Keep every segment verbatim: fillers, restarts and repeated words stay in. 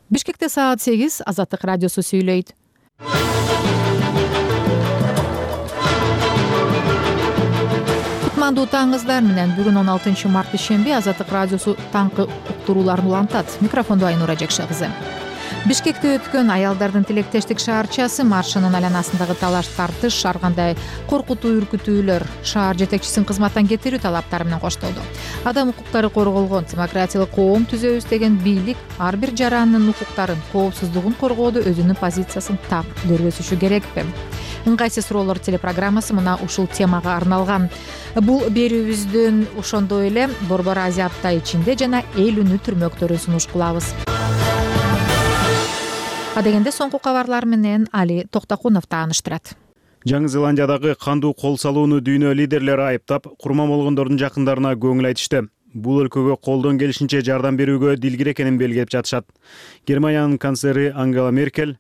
Бишкекте саат сегиз. Азаттык радиосу сүйлөйт. Кутмандуу таңыңыздар менен. Бүгүн он алтынчы март ишемби. Азаттык радиосу таңкы уктурууларын улантат. Микрофондо Айнура Жекше кызы. Бишкекте өткөн аялдардын тилектештик шаарчасы маршынын айланасындагы талаш тартыш ар кандай коркутуу үркүтүүлөр шаар жетекчисин кызматтан кетирүү талаптары менен коштолду. Адам укуктары корголгон, демократиялык коом түзөбүз деген бийлик ар бир жарандын укуктарын, коопсуздугун коргоодо өзүнүн позициясын так көргөзүшү керекпи? Ыңгайсыз суроолор телепрограммасы мына ушул темага арналган. Бул берүүбүздүн ошондой эле Борбор Азия апта ичинде жана эл үнү түрмөктөрүн сунуш кылабыз. Адегенде соңку кабарлар менен Али Токтокунов тааныштырат. Жаңы Зеландиядагы кандуу кол салууну дүйнө лидерлери айыптап, курман болгондордун жакындарына көңүл айтышты. Бул өлкөгө колдон келишинче жардам берүүгө дилгир экенин белгилеп жатышат. Германиянын канцлери Ангела Меркель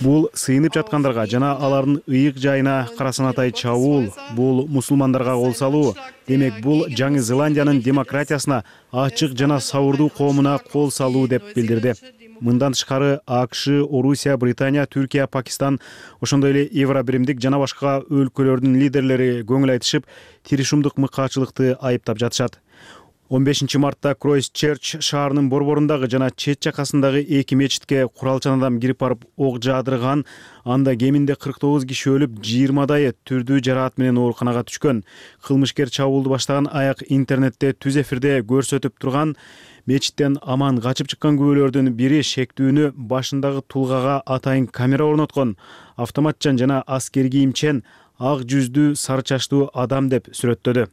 бул сыйынып жаткандарга жана алардын ыйык жайына карасанатай чабуул, бул мусулмандарга кол салуу, демек бул Жаңы Зеландиянын демократиясына, ачык жана сабырдуу коомуна кол салуу деп билдирди. Мындан тышкары АКШ, Орусия, Британия, Түркия, Пакистан, ошондой эле Евробиримдик жана башка өлкөлөрдүн лидерлери көңүл айтышып, тиришумдук мыкаачылыкты айыптап жатышат. он бешинчи мартта Кройстчерч шаарынын борборундагы жана чет жакасындагы эки мечитке куралчан адам кирип барып ок жаадырган, анда кеминде кырк тогуз киши өлүп, жыйырмадайы түрдүү жараат менен ооруканага түшкөн. Кылмышкер чабуулду баштаган аяк интернетте түз эфирде көрсөтүп турган. Мечиттен аман качып чыккан күбөлөрдүн бири шектүүнү башындагы тулгага атайын камера орноткон, автоматчан жана аскер кийимчен ак жүздүү сары чачтуу адам деп сүрөттөдү.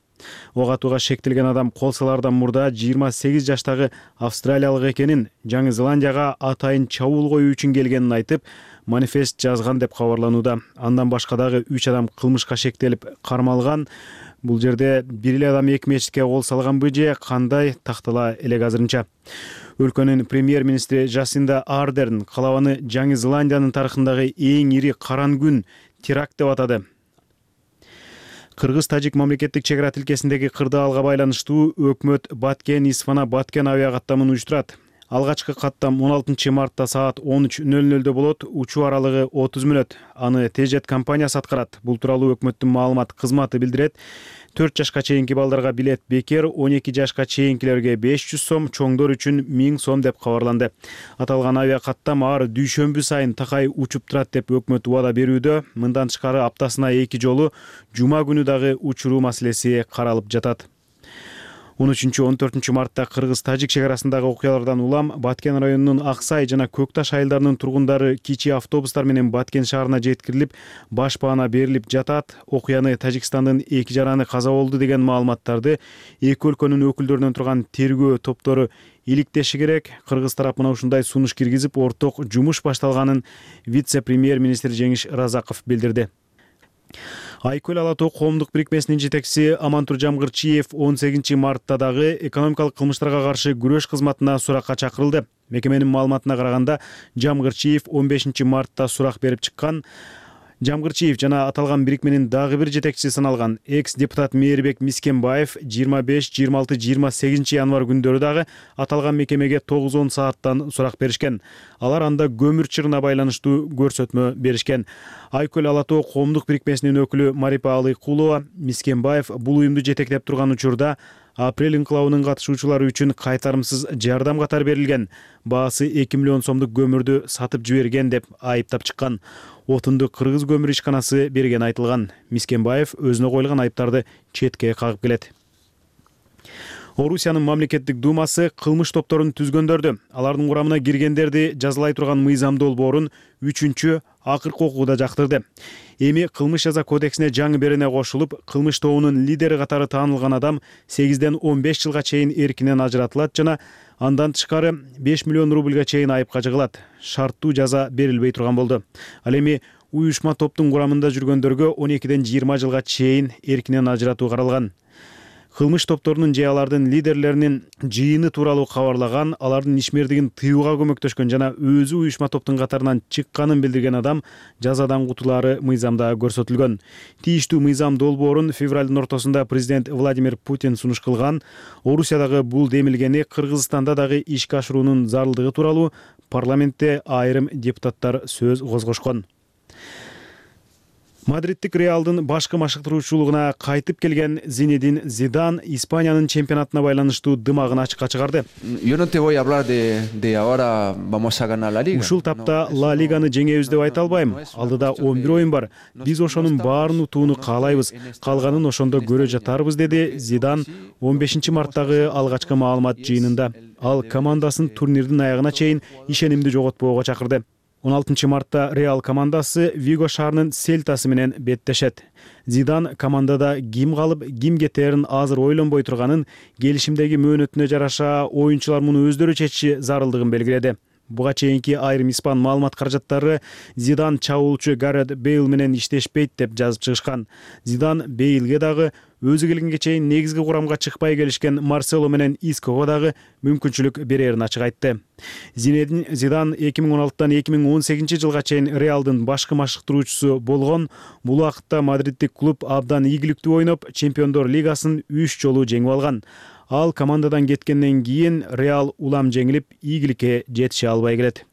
Ок атууга шектелген адам кол салаардан мурда жыйырма сегиз жаштагы австралиялык экенин, Жаңы Зеландияга атайын чабуул коюу үчүн келгенин айтып, манифест жазган деп кабарланууда. Андан башка дагы үч адам кылмышка шектелип кармалган. Бул жерде бир эле адам эки мечитке кол салганбы же кандай тактала элек азырынча. Өлкөнүн премьер-министри Жасинда Ардерн калабаны Жаңы Зеландиянын тарыхындагы эң ири каран күн теракт деп атады. Кыргыз-тажик мамлекеттик чек ара тилкесиндеги кырдаалга байланыштуу өкмөт Баткен-Исфана Баткен авиакаттамын уюштурат. Алгачкы каттам он алтынчы мартта саат он үч нөл нөлдө болот, учуу аралыгы отуз мүнөт. Аны Тежет компаниясы аткарат. Бул тууралуу өкмөттүн маалымат кызматы билдирет. төрт жашка чейинки балдарга билет бекер, он эки жашка чейинкилерге беш жүз сом, чоңдор үчүн миң сом деп кабарланды. Аталган авиакаттам ар дүйшөмбү сайын такай учуп турат деп өкмөт убада берүүдө. Мындан тышкары аптасына эки жолу жума күнү дагы учуруу маселеси каралып жатат. он үчүнчү он төртүнчү мартта Кыргыз-Тажик чек арасындагы окуялардан улам Баткен районунун Аксай жана Көкташ айылдарынын тургундары кичи автобустар менен Баткен шаарына жеткирилип, баш баана берилип жатат. Окуяны Тажикстандын эки жараны каза болду деген маалыматтарды эки өлкөнүн өкүлдөрүнөн турган тергөө топтору иликтеши керек. Кыргыз тарапына ушундай сунуш киргизип, орток жумуш башталганын вице-премьер-министр Жеңиш Разаков билдирди. Айкөл Ала Тоо коомдук бирикмесинин жетекчиси Амантур Жамгырчиев он сегизинчи мартта дагы экономикалык кылмыштарга каршы күрөш кызматына суракка чакырылды. Мекеменин маалыматына караганда, Жамгырчиев он бешинчи мартта сурак берип чыккан. Жамгырчиев жана аталган бирикменин дагы бир жетекчиси саналган экс-депутат Мээрбек Мискенбаев жыйырма беш, жыйырма алты, жыйырма сегизинчи январь күндөрү дагы аталган мекемеге тогуз он сааттан сурак беришкен. Алар анда көмүр чырына байланыштуу көрсөтмө беришкен. Айкөл Ала Тоо коомдук бирикмесинин өкүлү Марипа Алыкулова Мискенбаев бул уюмду жетектеп турган учурда апрель инкылабынын катышуучулары үчүн кайтарымсыз жардам катары берилген, баасы эки миллион сомдук көмүрдү сатып жиберген деп айыптап чыккан. Отунду Кыргыз көмүр ишканасы берген айтылган. Мискенбаев өзүнө коюлган айыптарды четке кагып келет. Орусиянын мамлекеттик думасы кылмыш топторун түзгөндөрдү, алардын курамына киргендерди жазалай турган мыйзам долбоорун үчүнчү акыркы окууда жактырды. Эми кылмыш жаза кодексине жаңы берене кошулуп, кылмыш тобунун лидери катары таанылган адам сегизден он беш жылга чейин эркинен ажыратылат жана андан тышкары беш миллион рубльга чейин айыпка жыгылат. Шарттуу жаза берилбей турган болду. Ал эми уюшма топтун курамында жүргөндөргө он экиден жыйырма жылга чейин эркинен ажыратуу каралган. кылмыш топторунун же алардын лидерлеринин жыйыны тууралуу кабарлаган, алардын ишмердигин тыюуга көмөктөшкөн жана өзү уюшма топтун катарынан чыкканын билдирген адам жазадан кутулаары мыйзамда көрсөтүлгөн. Тийиштүү мыйзам долбоорун февралдын ортосунда президент Владимир Путин сунуш кылган. Орусиядагы бул демилгени Кыргызстанда дагы ишке ашыруунун зарылдыгы тууралуу парламентте айрым депутаттар сөз козгошкон. Мадридтик Реалдын башкы машыктыруучулугуна кайтып келген Зинедин Зидан Испаниянын чемпионатына байланыштуу дымагын ачыкка чыгарды. Ушул тапта Ла Лиганы жеңебиз деп айта албайм. Алдыда он бир оюн бар. Биз ошонун баарын утууну каалайбыз. Калганын ошондо көрө жатарбыз, деди Зидан он бешинчи марттагы алгачкы маалымат жыйынында. Ал командасын турнирдин аягына чейин ишенимди жоготпоого чакырды. он алтынчы мартта Реал командасы Виго шаарынын Сельтасы менен беттешет. Зидан командада ким калып, ким кетерин азыр ойлонбой турганын, келишимдеги мөөнөтүнө жараша оюнчулар муну өздөрү чечиши зарылдыгын белгиледи. Буга чейинки айрым испан маалымат каражаттары Зидан чабуулчу Гарет Бейл менен иштешпейт деп жазып чыгышкан. Зидан Бейлге дагы өзү келгенге чейин негизги курамга чыкпай келишкен Марсело менен Иского дагы мүмкүнчүлүк берерин ачык айтты. Зинедин Зидан эки миң он алтыдан эки миң он сегизинчи жылга чейин Реалдын башкы машыктыруучусу болгон. Бул убакытта мадридтик клуб абдан ийгиликтүү ойноп, Чемпиондор лигасын үч жолу жеңип алган. Ал командадан кеткенден кийин Реал улам жеңилип, ийгиликке жетише албай келет.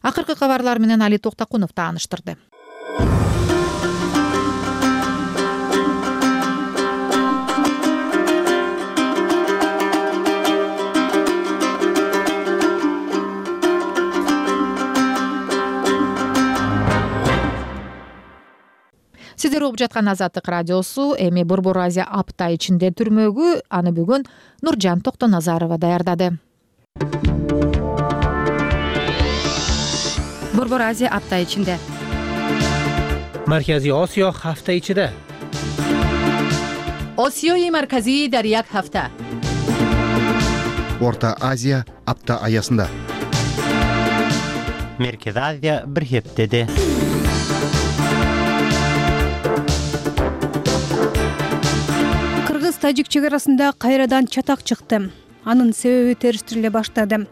Акыркы кабарлар менен Али Токтакунов тааныштырды. Сиздер угуп жаткан Азаттык радиосу. Эми Борбор Азия апта ичинде түрмөгү аны бүгүн Нуржан Токтоназарова даярдады. Борбор Азия апта ичинде. Маркази Осиё ҳафта ичида. Осиёи марказӣ дар як ҳафта. Орта Азия апта аясында. Меркези Азия бир хептеде. Кыргыз-тажик чек арасында кайрадан чатак чыкты. Анын себеби териштириле баштады.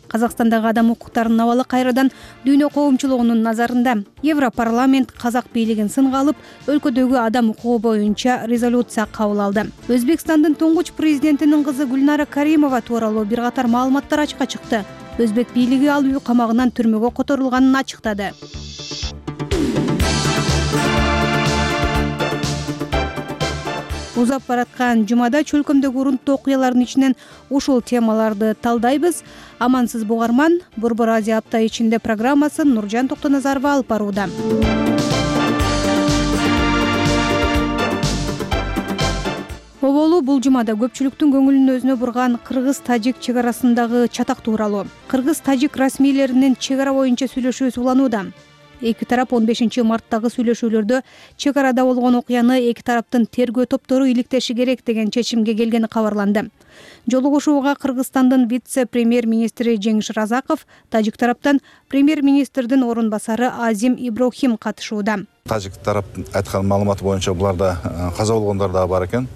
Казакстандагы адам укуктарынын абалы кайрадан дүйнө коомчулугунун назарында. Европарламент казак бийлигин сынга алып, өлкөдөгү адам укугу боюнча резолюция кабыл алды. Өзбекстандын туңгуч президентинин кызы Гүлнара Каримова тууралуу бир катар маалыматтар ачыкка чыкты. Өзбек бийлиги ал үй камагынан түрмөгө которулганын ачыктады. Узап бараткан жумада чөлкөмдөгү урунттуу окуялардын ичинен ушул темаларды талдайбыз. Амансыз бугарман, Борбор Азия апта ичинде программасын Нуржан Токтоназарова алып барууда. Оболу бул жумада көпчүлүктүн көңүлүн өзүнө бурган Кыргыз-тажик чек арасындагы чатак тууралуу. Кыргыз-тажик расмийлеринин чек ара боюнча сүйлөшүүсү уланууда. Эки тарап он бешинчи марттагы сүйлөшүүлөрдө чек арада болгон окуяны эки тараптын тергөө топтору иликтеши керек деген чечимге келгени кабарланды. Жолугушууга Кыргызстандын вице-премьер-министри Жеңиш Разаков, тажик тараптан премьер-министрдин орун басары Азим Иброхим катышууда. Тажик тарап айткан маалымат боюнча буларда каза болгондор да бар экен.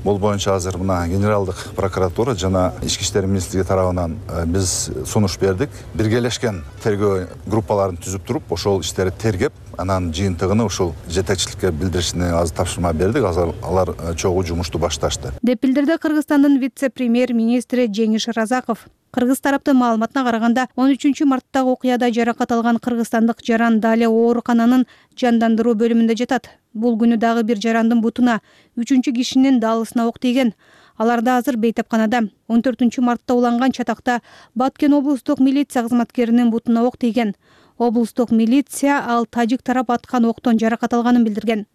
Бул боюнча азыр мына генералдык прокуратура жана ички иштер министрлиги тарабынан биз сунуш бердик. Биргелешкен тергөө группаларын түзүп туруп, ошол иштерди тергеп, анан жыйынтыгын ушул жетекчиликке билдиришине азыр тапшырма бердик. Азыр алар чогуу жумушту башташты. Деп билдирди Кыргызстандын вице-премьер-министри Жеңиш Разаков. Кыргыз тараптын маалыматына караганда, он үчүнчү марттагы окуяда жаракат алган кыргызстандык жаран Дале оорукананын жандандыруу бөлүмүндө жатат. Бул күнү дагы бир жарандын бутуна, үчүнчү кишинин даалысына ок тийген. Алар да азыр бейтапканада. он төртүнчү мартта уланган чатакта Баткен облустук милиция кызматкеринин бутуна ок тийген. Облустук милиция ал тажик тарап аткан октон жаракат алганын билдирген.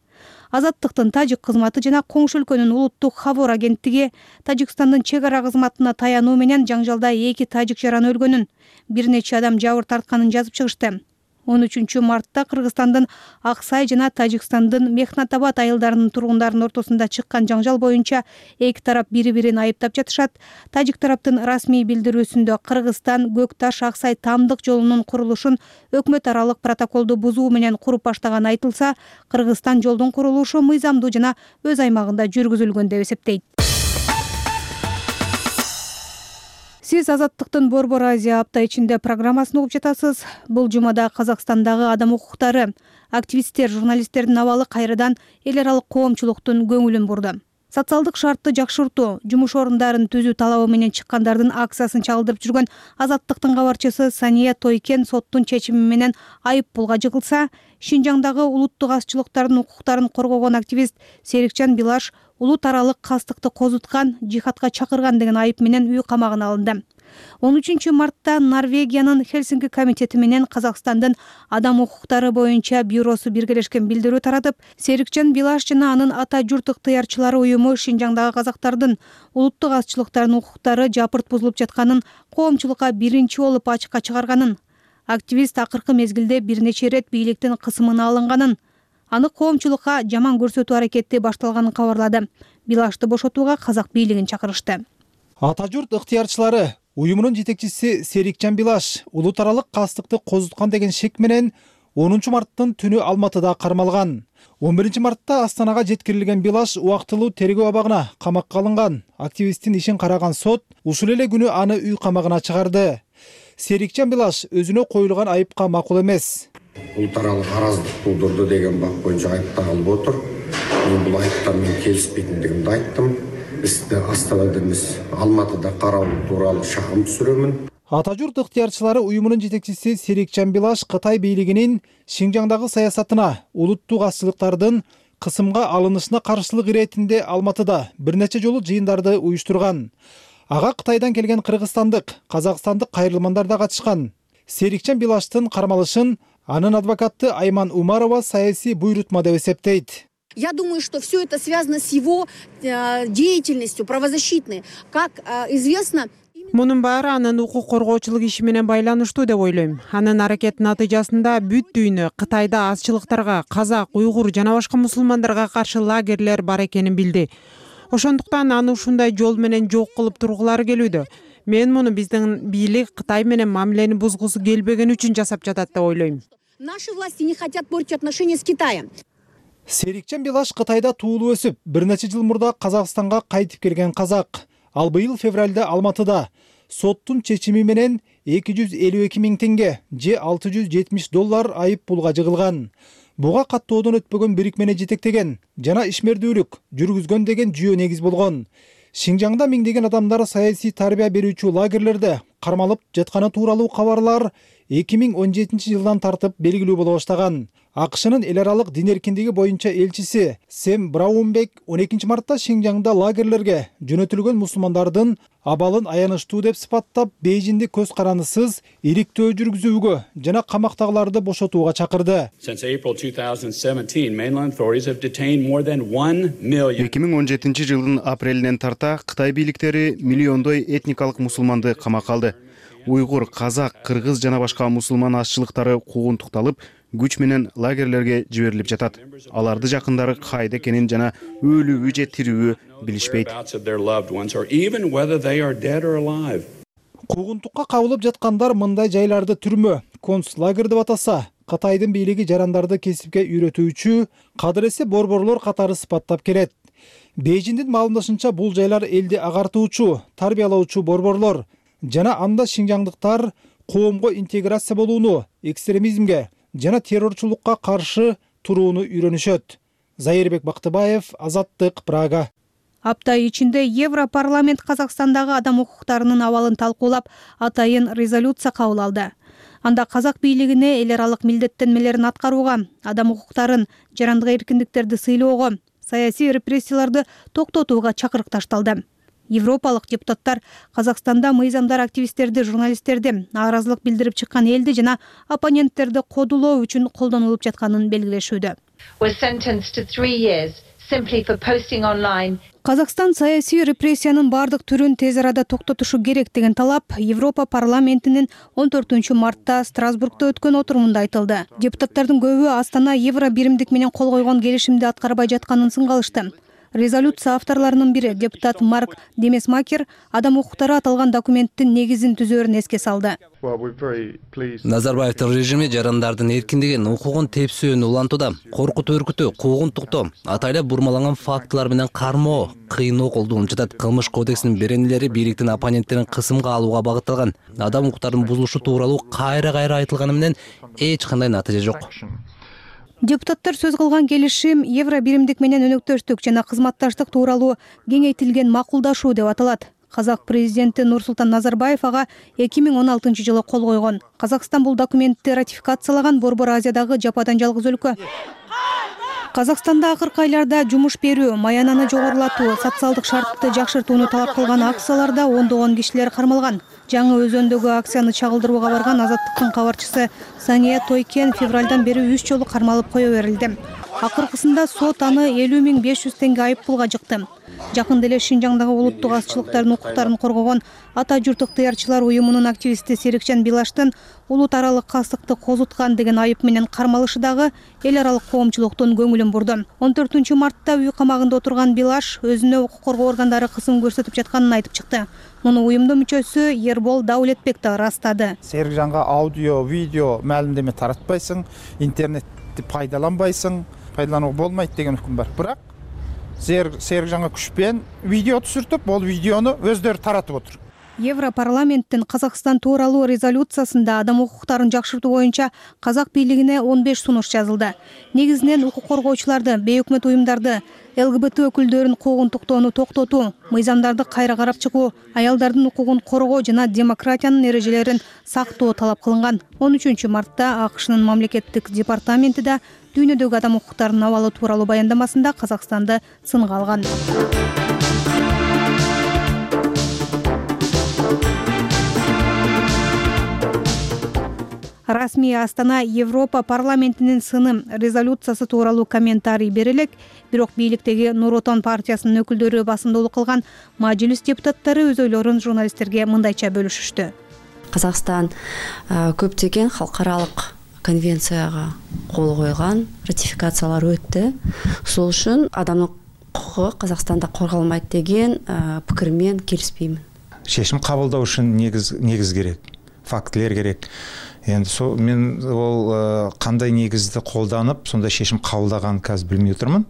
Азаттыктын тажик кызматы жана коңшу өлкөнүн улуттук хабар агенттиги Тажикстандын чек ара кызматына таянуу менен жаңжалда эки тажик жаран өлгөнүн, бир нече адам жабыр тартканын жазып чыгышты. он үчүнчү мартта Кыргызстандын Аксай жана Тажикстандын Мехнатабад айылдарынын тургундарынын ортосунда чыккан жаңжал боюнча эки тарап бири-бирин айыптап жатышат. Тажик тараптын расмий билдирүүсүндө Кыргызстан Көк Таш Аксай тамдык жолунун курулушун өкмөт аралык протоколду бузуу менен куруп баштаганы айтылса, Кыргызстан жолдун курулушу мыйзамдуу жана өз аймагында жүргүзүлгөн деп эсептейт. Сиз Азаттыктын Борбор Азия апта ичинде программасын угуп жатасыз. Бул жумада Казакстандагы адам укуктары, активисттер, журналисттердин абалы кайрадан эл аралык коомчулуктун көңүлүн бурду. Социалдык шартты жакшыртуу, жумуш орундарын түзүү талабы менен чыккандардын акциясын чалдырып жүргөн Азаттыктын кабарчысы Сания Тойкен соттун чечими менен айып пулга жыгылса, Шинжаңдагы улуттук азчылыктардын укуктарын коргогон активист Серикжан Билаш улут аралык кастыкты козуткан, жихадка чакырган деген айып менен үй камагына алынды. он үчүнчү мартта Норвегиянын Хельсинки комитети менен Казакстандын адам укуктары боюнча бюросу биргелешкен билдирүү таратып, Серикжан Билаш жана анын ата журт ыктыярчылары уюму Шинжаңдагы казактардын улуттук азчылыктардын укуктары жапырт бузулуп жатканын коомчулукка биринчи болуп ачыкка чыгарганын, активист акыркы мезгилде бир нече ирет бийликтин кысымына алынганын, аны коомчулукка жаман көрсөтүү аракети башталганын кабарлады. Билашты бошотууга казак бийлигин чакырышты. Ата журт ыктыярчылары уюмунун жетекчиси Серикжан Билаш улут аралык кастыкты козуткан деген шек менен онунчу марттын түнү Алматыда кармалган. он биринчи мартта Астанага жеткирилген Билаш убактылуу тергөө абагына камакка алынган. Активисттин ишин караган сот ушул эле күнү аны үй камагына чыгарды. Серикжан Билаш өзүнө коюлган айыпка макул эмес. Улут аралык араздык туудурду деген бап боюнча айыпталып отур. Мен бул айыптар менен келишпейтиндигимди айттым. Бизде Астанада эмес, Алматыда кароо тууралуу шагым түшүрөмүн. Ата журт ыктыярчылары уюмунун жетекчиси Серикжан Билаш Кытай бийлигинин Шинжаңдагы саясатына, улуттук азчылыктардын кысымга алынышына каршылык иретинде Алматыда бир нече жолу жыйындарды уюштурган. Ага Кытайдан келген кыргызстандык, казакстандык кайрылмандар да катышкан. Серикжан Билаштын кармалышын анын адвокаты Айман Умарова саясий буйрутма деп эсептейт. Я думаю, что все это связано с его э, деятельностью правозащитной. Как э, известно, мунун баары анын укук коргоочулук иши менен байланыштуу деп ойлойм. Анын аракетинин натыйжасында бүт дүйнө Кытайда азчылыктарга, казак, уйгур жана башка мусулмандарга каршы лагерлер бар экенин билди. Ошондуктан аны ушундай жол менен жок кылып тургулары келүүдө. Мен муну биздин бийлик Кытай менен мамилени бузгусу келбеген үчүн жасап жатат деп ойлойм. Наши власти не хотят портить отношения с Китаем. Серикжан Билаш Кытайда туулуп өсүп, бир нече жыл мурда Казакстанга кайтып келген казак. Ал быйыл февралда Алматыда соттун чечими менен эки жүз элүү эки миң теңге же алты жүз жетимиш доллар айып пулга жыгылган. Буга каттоодон өтпөгөн бирикмени жетектеген жана ишмердүүлүк жүргүзгөн деген жүйө негиз болгон. Шинжаңда миңдеген адамдар саясий тарбия берүүчү лагерлерде кармалып жатканы тууралуу кабарлар эки миң он жетинчи жылдан тартып белгилүү боло баштаган. АКШнын эл аралык дин эркиндиги боюнча элчиси Сэм Браунбек он экинчи мартта Шинжаңда лагерлерге жөнөтүлгөн мусулмандардын абалын аянычтуу деп сыпаттап, Бейжинди көз карандысыз ириктөө жүргүзүүгө жана камактагыларды бошотууга чакырды. эки миң он жетинчи жылдын апрелинен тарта Кытай бийликтери миллиондой этникалык мусулманды камакка алды. Уйгур, казак, кыргыз жана башка мусулман азчылыктары куугунтукталып, күч менен лагерлерге жиберилип жатат. Аларды жакындары кайда экенин жана өлүүбү же тирүүбү билишпейт. Куугунтукка кабылып жаткандар мындай жайларды түрмө, концлагер деп атаса, Кытайдын бийлиги жарандарды кесипке үйрөтүүчү кадыресе борборлор катары сыпаттап келет. Бейжиндин маалымдашынча бул жайлар элди агартуучу, тарбиялоочу борборлор жана анда шинжаңдыктар коомго интеграция болууну, экстремизмге жана террорчулукка каршы турууну үйрөнүшөт. Зайырбек Бактыбаев, Азаттык, Прага. Апта ичинде Европарламент Казакстандагы адам укуктарынын абалын талкуулап, атайын резолюция кабыл алды. Анда казак бийлигине эл аралык милдеттенмелерин аткарууга, адам укуктарын, жарандык эркиндиктерди сыйлоого, саясий репрессияларды токтотууга чакырык ташталды. Европалык депутаттар Казакстанда мыйзамдар активисттерди, журналисттерди, нааразылык билдирип чыккан элди жана оппоненттерди кодулоо үчүн колдонулуп жатканын белгилешүүдө. Казакстан саясий репрессиянын бардык түрүн тез арада токтотушу керек деген талап Европа парламентинин он төртүнчү мартта Страсбургда өткөн отурумунда айтылды. Депутаттардын көбү Астана евро биримдик менен кол койгон келишимди аткарбай жатканын сынга алышты. Резолюция авторлорунун бири депутат Марк Демесмакер адам укуктары аталган документтин негизин түзөөрүн эске салды. Назарбаевдин режими жарандардын эркиндигин, укугун тепсөөнү улантууда. Коркутуу, үркүтүү, куугунтуктоо, атайлап бурмаланган фактылар менен кармоо, кыйноо колдонуп жатат. Кылмыш кодексинин беренелери бийликтин оппоненттерин кысымга алууга багытталган. Адам укуктарынын бузулушу тууралуу кайра-кайра айтылганы менен эч кандай натыйжа жок. Депутаттар сөз кылган келишим евро биримдик менен өнөктөштүк жана кызматташтык тууралуу кеңейтилген макулдашуу деп аталат. Казак президенти Нурсултан Назарбаев ага эки миң он алтынчы жылы кол койгон. Казакстан бул документти ратификациялаган Борбор Азиядагы жападан жалгыз өлкө. Казакстанда акыркы айларда жумуш берүү, маянаны жогорулатуу, социалдык шартты жакшыртууну талап кылган акцияларда ондогон кишилер кармалган. Жаңы Өзөндөгү акцияны чагылдырууга барган Азаттыктын кабарчысы Саңия Тойкен февралдан бери үч жолу кармалып кое берилди. Акыркысында сот аны элүү миң беш жүз теңге айып пулга жыкты. Жакында эле Шинжаңдагы улуттук азчылыктардын укуктарын коргогон Ата журт ыктыярчылар уюмунун активисти Серикжан Билаштын улут аралык кастыкты козуткан деген айып менен кармалышы дагы эл аралык коомчулуктун көңүлүн бурду. он төртүнчү мартта үй камагында отурган Билаш өзүнө укук коргоо органдары кысым көрсөтүп жатканын айтып чыкты. Муну уюмдун мүчөсү Ербол Даулетбек да ырастады. Серикжанга аудио, видео маалымдеме таратпайсың, интернетти пайдаланбайсың, пайдаланууга болмойт деген өкүм бар. Бирок Серикжанга күчпен видео түшүртүп, бул видеону өздөрү таратып отур. Европарламенттин Казакстан тууралуу резолюциясында адам укуктарын жакшыртуу боюнча казак бийлигине он беш сунуш жазылды. Негизинен укук коргоочуларды, бейөкмөт уюмдарды, ЛГБТ өкүлдөрүн куугунтуктоону токтотуу, мыйзамдарды кайра карап чыгуу, аялдардын укугун коргоо жана демократиянын эрежелерин сактоо талап кылынган. он үчүнчү мартта АКШнын мамлекеттик департаменти да дүйнөдөгү адам укуктарынын абалы тууралуу баяндамасында Казакстанды сынга алган. Расмий Астана Европа парламентинин сыны резолюциясы тууралуу комментарий берилек, бирок бийликтеги Нур Отон партиясынын өкүлдөрү басымдуулук кылган мажлис депутаттары өз ойлорун журналисттерге мындайча бөлүшүштү. Казакстан көптөгөн халкаралык конвенцияга кол койгон, ратификациялар өттү. Ошол үчүн адамдын укугу Казакстанда корголмайт деген пикир менен келишпеймин. Чечим кабылдоо үчүн негиз негиз керек, фактылар керек. Енді сол мен ол кандай негизди колданып, сондай чечим кабылдаганын азыр билмей отурмун.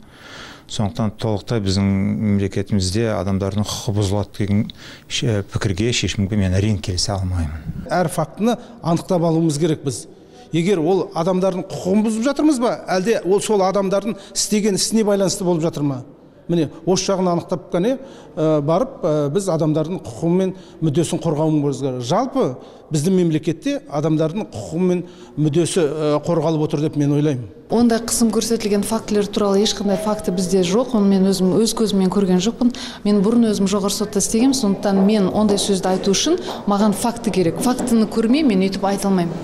Сондуктан толуктай биздин мамлекетибизде адамдардын укугу бузулат деген пикирге, чечимге мен әрине келисе алмаймын. Әр фактыны аныктап алуубуз керек биз. Эгер ол адамдардын укугун бузуп жатырмызбы, әлде ол сол адамдардын истеген исине байланыштуу болуп жатырмы? Міне, ош жагын аныктап кане барып биз адамдардын укугу менен мүддөсүн коргообуз керек. Жалпы биздин мемлекетте адамдардын укугу менен мүддөсү корголуп отур деп мен ойлойм. Ондай кысым көрсөтүлгөн фактылар тууралуу эч кандай факты бизде жок. Мен өзүм өз көзүм менен көргөн жокмун. Мен бурун өзүм жогорку сотто иштегем, сондуктан мен ондай сөздү айтуу үчүн мага факты керек. Фактыны көрмөй мен өйтүп айта алмайм.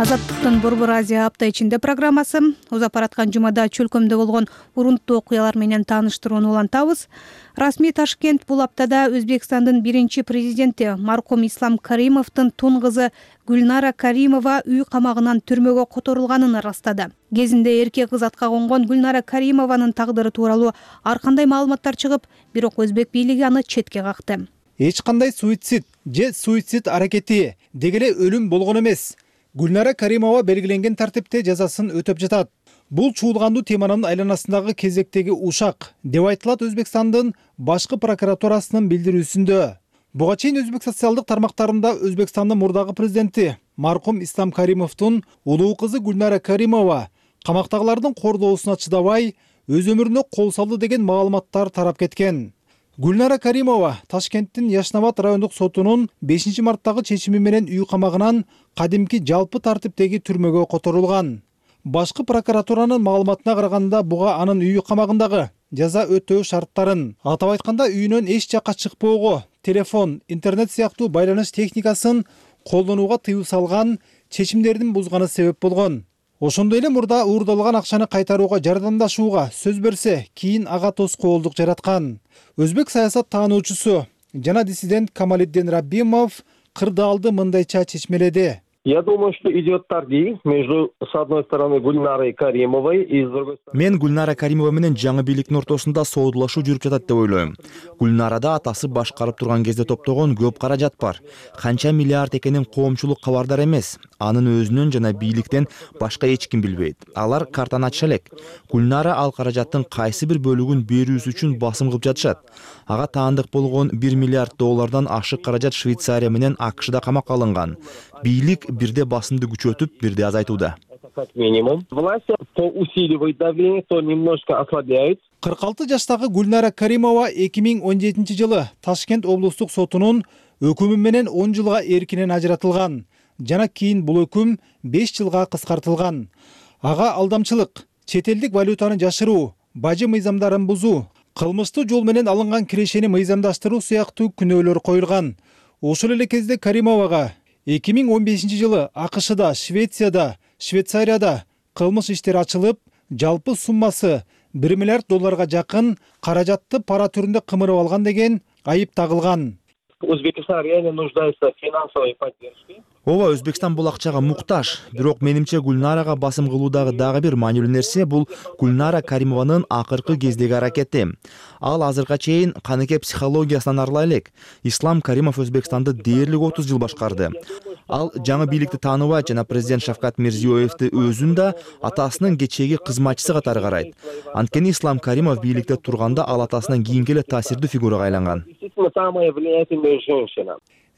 Азаттыктын Борбор Азия апта ичинде программасы узап бараткан жумада чөлкөмдө болгон урунттуу окуялар менен тааныштырууну улантабыз. Расмий Ташкент бул аптада Өзбекстандын биринчи президенти маркум Ислам Каримовдун тун кызы Гүлнара Каримова үй камагынан түрмөгө которулганын ырастады. Кезинде эркек кыз атка конгон Гүлнара Каримованын тагдыры тууралуу ар кандай маалыматтар чыгып, бирок өзбек бийлиги аны четке какты. Эч кандай суицид же суицид аракети дегеле өлүм болгон эмес. Гүлнара Каримова белгиленген тартипте жазасын өтөп жатат. Бул чуулгандуу теманын айланасындагы кезектеги ушак деп айтылат Өзбекстандын башкы прокуратурасынын билдирүүсүндө. Буга чейин өзбек социалдык тармактарында Өзбекстандын мурдагы президенти маркум Ислам Каримовдун улуу кызы Гүлнара Каримова камактагылардын кордоосуна чыдабай өз өмүрүнө кол салды деген маалыматтар тарап кеткен. Гүлнара Каримова Ташкенттин Яшнабад райондук сотунун бешинчи марттагы чечими менен үй камагынан кадимки жалпы тартиптеги түрмөгө которулган. Башкы прокуратуранын маалыматына караганда буга анын үй камагындагы жаза өтөө шарттарын, атап айтканда үйүнөн эч жакка чыкпоого, телефон, интернет сыяктуу байланыш техникасын колдонууга тыюу салган чечимдердин бузганы себеп болгон. Ошондой эле мурда уурдалган акчаны кайтарууга жардамдашууга сөз берсе, кийин ага тоскоолдук жараткан. Өзбек саясат таануучусу жана диссидент Камалиддин Раббимов кырдаалды мындайча чечмеледи. Я думаю, что идет торги между, с одной стороны, Гульнарой Каримовой и с другой стороны... Мен Гульнара Каримова менен жаңы бийликтин ортосунда соодулашуу жүрүп жатат деп ойлойм. Гульнарада атасы башкарып турган кезде топтогон көп каражат бар. Канча миллиард экенин коомчулук кабардар эмес. Анын өзүнөн жана бийликтен башка эч ким билбейт. Алар картаны ачыша элек. Гульнара ал каражаттын кайсы бир бөлүгүн берүүсү үчүн басым кылып жатышат. Ага таандык болгон бир миллиард доллардан ашык каражат Швейцария менен АКШда камакка алынган. Бийлик бирде басымды күчөтүп, бирде азайтууда. Как минимум. Власти то усиливает давление, то немножко ослабляет. кырк алты жаштагы Гульнара Каримова эки миң он жетинчи жылы Ташкент облустук сотунун өкүмү менен он жылга эркинен ажыратылган. Жана кийин бул өкүм беш жылга кыскартылган. Ага алдамчылык, чет элдик валютаны жашыруу, бажы мыйзамдарын бузуу, кылмыштуу жол менен алынган кирешени мыйзамдаштыруу сыяктуу күнөөлөр коюлган. Ошол эле кезде Каримовага эки миң он бешинчи жылы АКШда, Швецияда, Швейцарияда кылмыш иштери ачылып, жалпы суммасы бир миллиард долларга жакын каражатты пара түрүндө кымырып алган деген айып тагылган. Узбекистан реально нуждается в финансовой поддержке. Ооба, Өзбекстан бул акчага муктаж. Бирок менимче Гульнарага басым кылуудагы дагы бир маанилүү нерсе бул Гульнара Каримованын акыркы кездеги аракети. Ал азыркыга чейин каныкей психологиясынан арыла элек. Ислам Каримов Өзбекстанды дээрлик отуз жыл башкарды. Ал жаңы бийликти тааныбайт жана президент Шавкат Мирзиёевди өзүн да атасынын кечээги кызматчысы катары карайт. Анткени Ислам Каримов бийликте турганда ал атасынан кийинки эле таасирдүү фигурага айланган.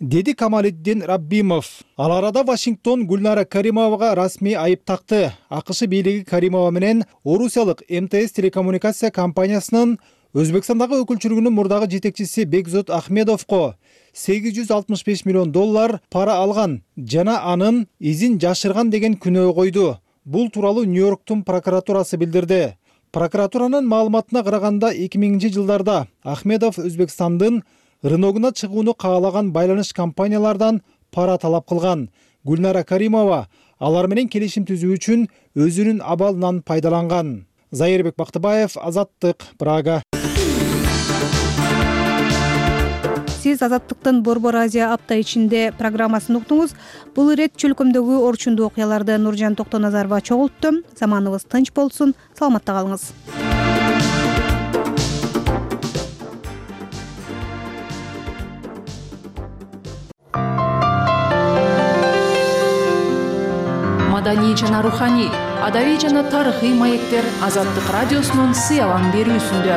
Деди Камалиддин Раббимов. Ал арада Вашингтон Гульнара Каримовага расмий айып такты. АКШ бийлиги Каримова менен орусиялык эм тэ эс телекоммуникация компаниясынын Өзбекстандагы өкүлчүлүгүнүн мурдагы жетекчиси Бекзот Ахмедовго сегиз жүз алтымыш беш миллион доллар пара алган жана анын изин жашырган деген күнөө койду. Бул тууралуу Нью-Йорктун прокуратурасы билдирди. Прокуратуранын маалыматына караганда эки миңинчи жылдарда Ахмедов Өзбекстандын рыногуна чыгууну каалаган байланыш компаниялардан пара талап кылган. Гульнара Каримова алар менен келишим түзүү үчүн өзүнүн абалынан пайдаланган. Зайырбек Бактыбаев, Азаттык, Прага. Сиз Азаттыктын Борбор Азия апта ичинде программасын уктуңуз. Бул ирет чөлкөмдөгү орчундуу окуяларды Нуржан Токтоназарова чогултту. Заманыбыз тынч болсун, саламатта калыңыз. Маданий жана руханий, адабий жана тарыхый маектер Азаттык радиосунун сыялан берүүсүндө.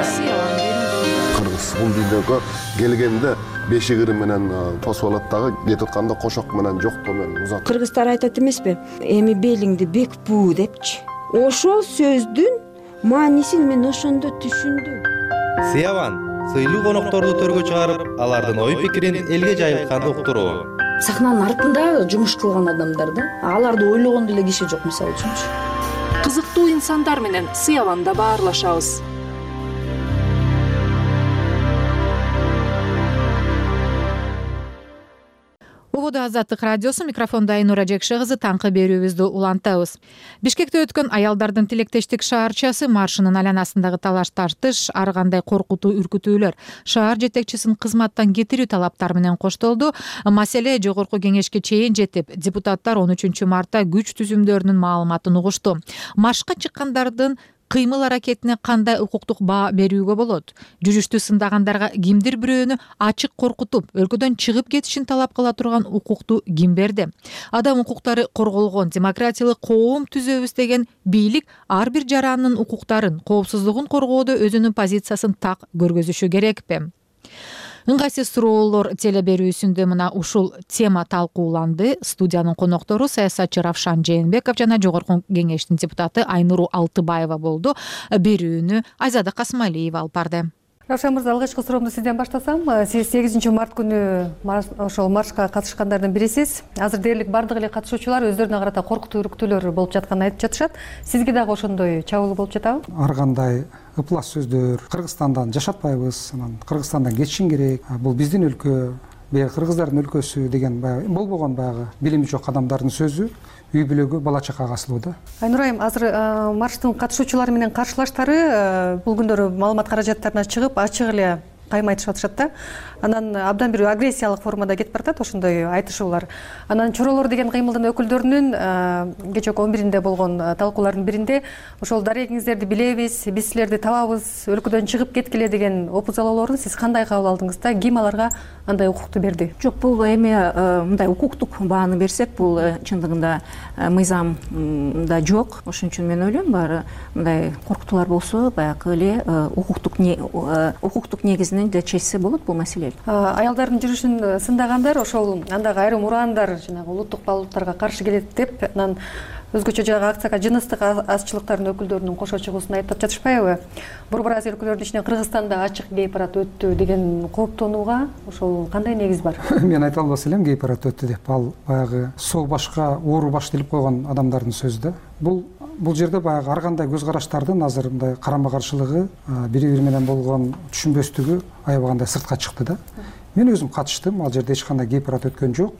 Кыргыз бул видеого келгенде бешигири менен тосуп алат дагы, кетип атканда кошок менен жоктоо менен узат. Кыргыздар айтат эмеспи? Эми белиңди бек буу депчи. Ошол сөздүн маанисин мен ошондо түшүндүм. Сыялан сыйлуу конокторду төргө чыгарып, алардын ой пикирин элге жайылткан уктуруу. Сахнанын артында жумуш кылган адамдар да, аларды ойлогон деле киши жок, мисалы үчүнчү. Кызыктуу инсандар менен сыяланда баарлашабыз. Убуду Азаттык радиосу, микрофондо Айнура Жекше кызы, таңкы берүүбүздү улантабыз. Бишкекте өткөн аялдардын тилектештик шаарчасы маршынын айланасындагы талаш тартыш, ар кандай коркутуу үркүтүүлөр шаар жетекчисин кызматтан кетирүү талаптары менен коштолду. Маселе жогорку кеңешке чейин жетип, депутаттар он үчүнчү мартта күч түзүмдөрүнүн маалыматын угушту. Маршка чыккандардын кыймыл аракетине кандай укуктук баа берүүгө болот? Жүрүштү сындагандарга кимдир бирөөнү ачык коркутуп, өлкөдөн чыгып кетишин талап кыла турган укукту ким берди? Адам укуктары корголгон демократиялык коом түзөбүз деген бийлик ар бир жарандын укуктарын, коопсуздугун коргоодо өзүнүн позициясын так көргөзүшү керекпи? Ыңгайсыз суроолор теле берүүсүндө мына ушул тема талкууланды. Студиянын коноктору саясатчы Равшан Жээнбеков жана жогорку кеңештин депутаты Айнуру Алтыбаева болду. Берүүнү Айзада Касмалиева алып барды. Равшан мырза, алгачкы суроомду сизден баштасам. Сиз сегизинчи март күнү ошол маршка катышкандардын бирисиз. Азыр дээрлик бардык эле катышуучулар өздөрүнө карата коркутуу үркүтүүлөр болуп жатканын айтып жатышат. Сизге дагы ошондой чабуулуу болуп жатабы? Ар кандай ыплас сөздөр, Кыргызстандан жашатпайбыз, анан Кыргызстандан кетишиң керек, бул биздин өлкө, баягы кыргыздардын өлкөсү деген баягы болбогон баягы билими жок адамдардын сөзү үй бүлөгө, бала чакага асылуу да. Айнур айым, азыр марштын катышуучулары менен каршылаштары бул күндөрү маалымат каражаттарына чыгып, ачык эле кайма айтышып атышат да. Анан абдан бир агрессиялык формада кетип баратат ошондой айтышуулар. Анан Чоролор деген кыймылдын өкүлдөрүнүн кечээ он биринде болгон талкуулардын биринде ошол дарегиңиздерди билебиз, биз силерди табабыз, өлкөдөн чыгып кеткиле деген опузалоолорун сиз кандай кабыл алдыңыз да? Ким аларга андай укукту берди? Жок, бул эми мындай укуктук бааны берсек, бул чындыгында мыйзамда жок. Ошон үчүн мен ойлойм, баары мындай коркутуулар болсо, баягы эле укуктук укуктук негизинен да чечсе болот бул маселени. Аялдардын жүрүшүн сындагандар ошол андагы айрым ураандар жанагы улуттук балыктарга каршы келет деп, анан өзгөчө жагы акцияга жыныстык азчылыктардын өкүлдөрүнүн кошо чыгуусун айтып жатышпайбы? Борбор Азия өлкөлөрүнүн ичинен Кыргызстанда ачык гей парад өттү деген кооптонууга ошол кандай негиз бар? Мен айта албас элем гей парад өттү деп. Ал баягы сол башка оору баш делип койгон адамдардын сөзү да. Бул бул жерде баягы ар кандай көз караштардын азыр мындай карама каршылыгы, бири бири менен болгон түшүнбөстүгү аябагандай сыртка чыкты да. Мен өзүм катыштым, ал жерде эч кандай гей парад өткөн жок.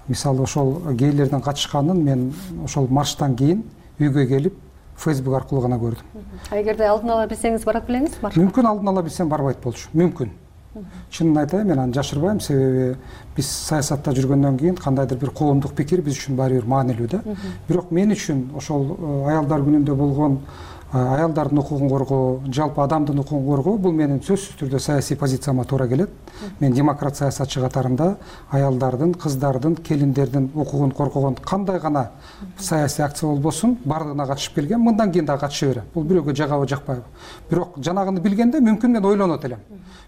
Мисалы ошол гейлердин катышканын мен ошол марштан кийин үйгө келип Facebook аркылуу гана көрдүм. А эгерде алдын ала билсеңиз барат белеңиз маршка? Мүмкүн алдын ала билсем барбайт болчу. Мүмкүн. Чынын айтайын, мен аны жашырбайм, себеби биз саясатта жүргөндөн кийин кандайдыр бир коомдук пикир биз үчүн баары бир маанилүү да. Бирок мен үчүн ошол аялдар күнүндө болгон аялдардын укугун коргоо, жалпы адамдын укугун коргоо бул менин сөзсүз түрдө саясий позицияма туура келет. Мен демократ саясатчы катарында аялдардын, кыздардын, келиндердин укугун коргогон кандай гана саясий акция болбосун бардыгына катышып келгем, мындан кийин да катыша берем. Бул бирөөгө жагабы жакпайбы. Бирок жанагыны билгенде мүмкүн мен ойлонот элем.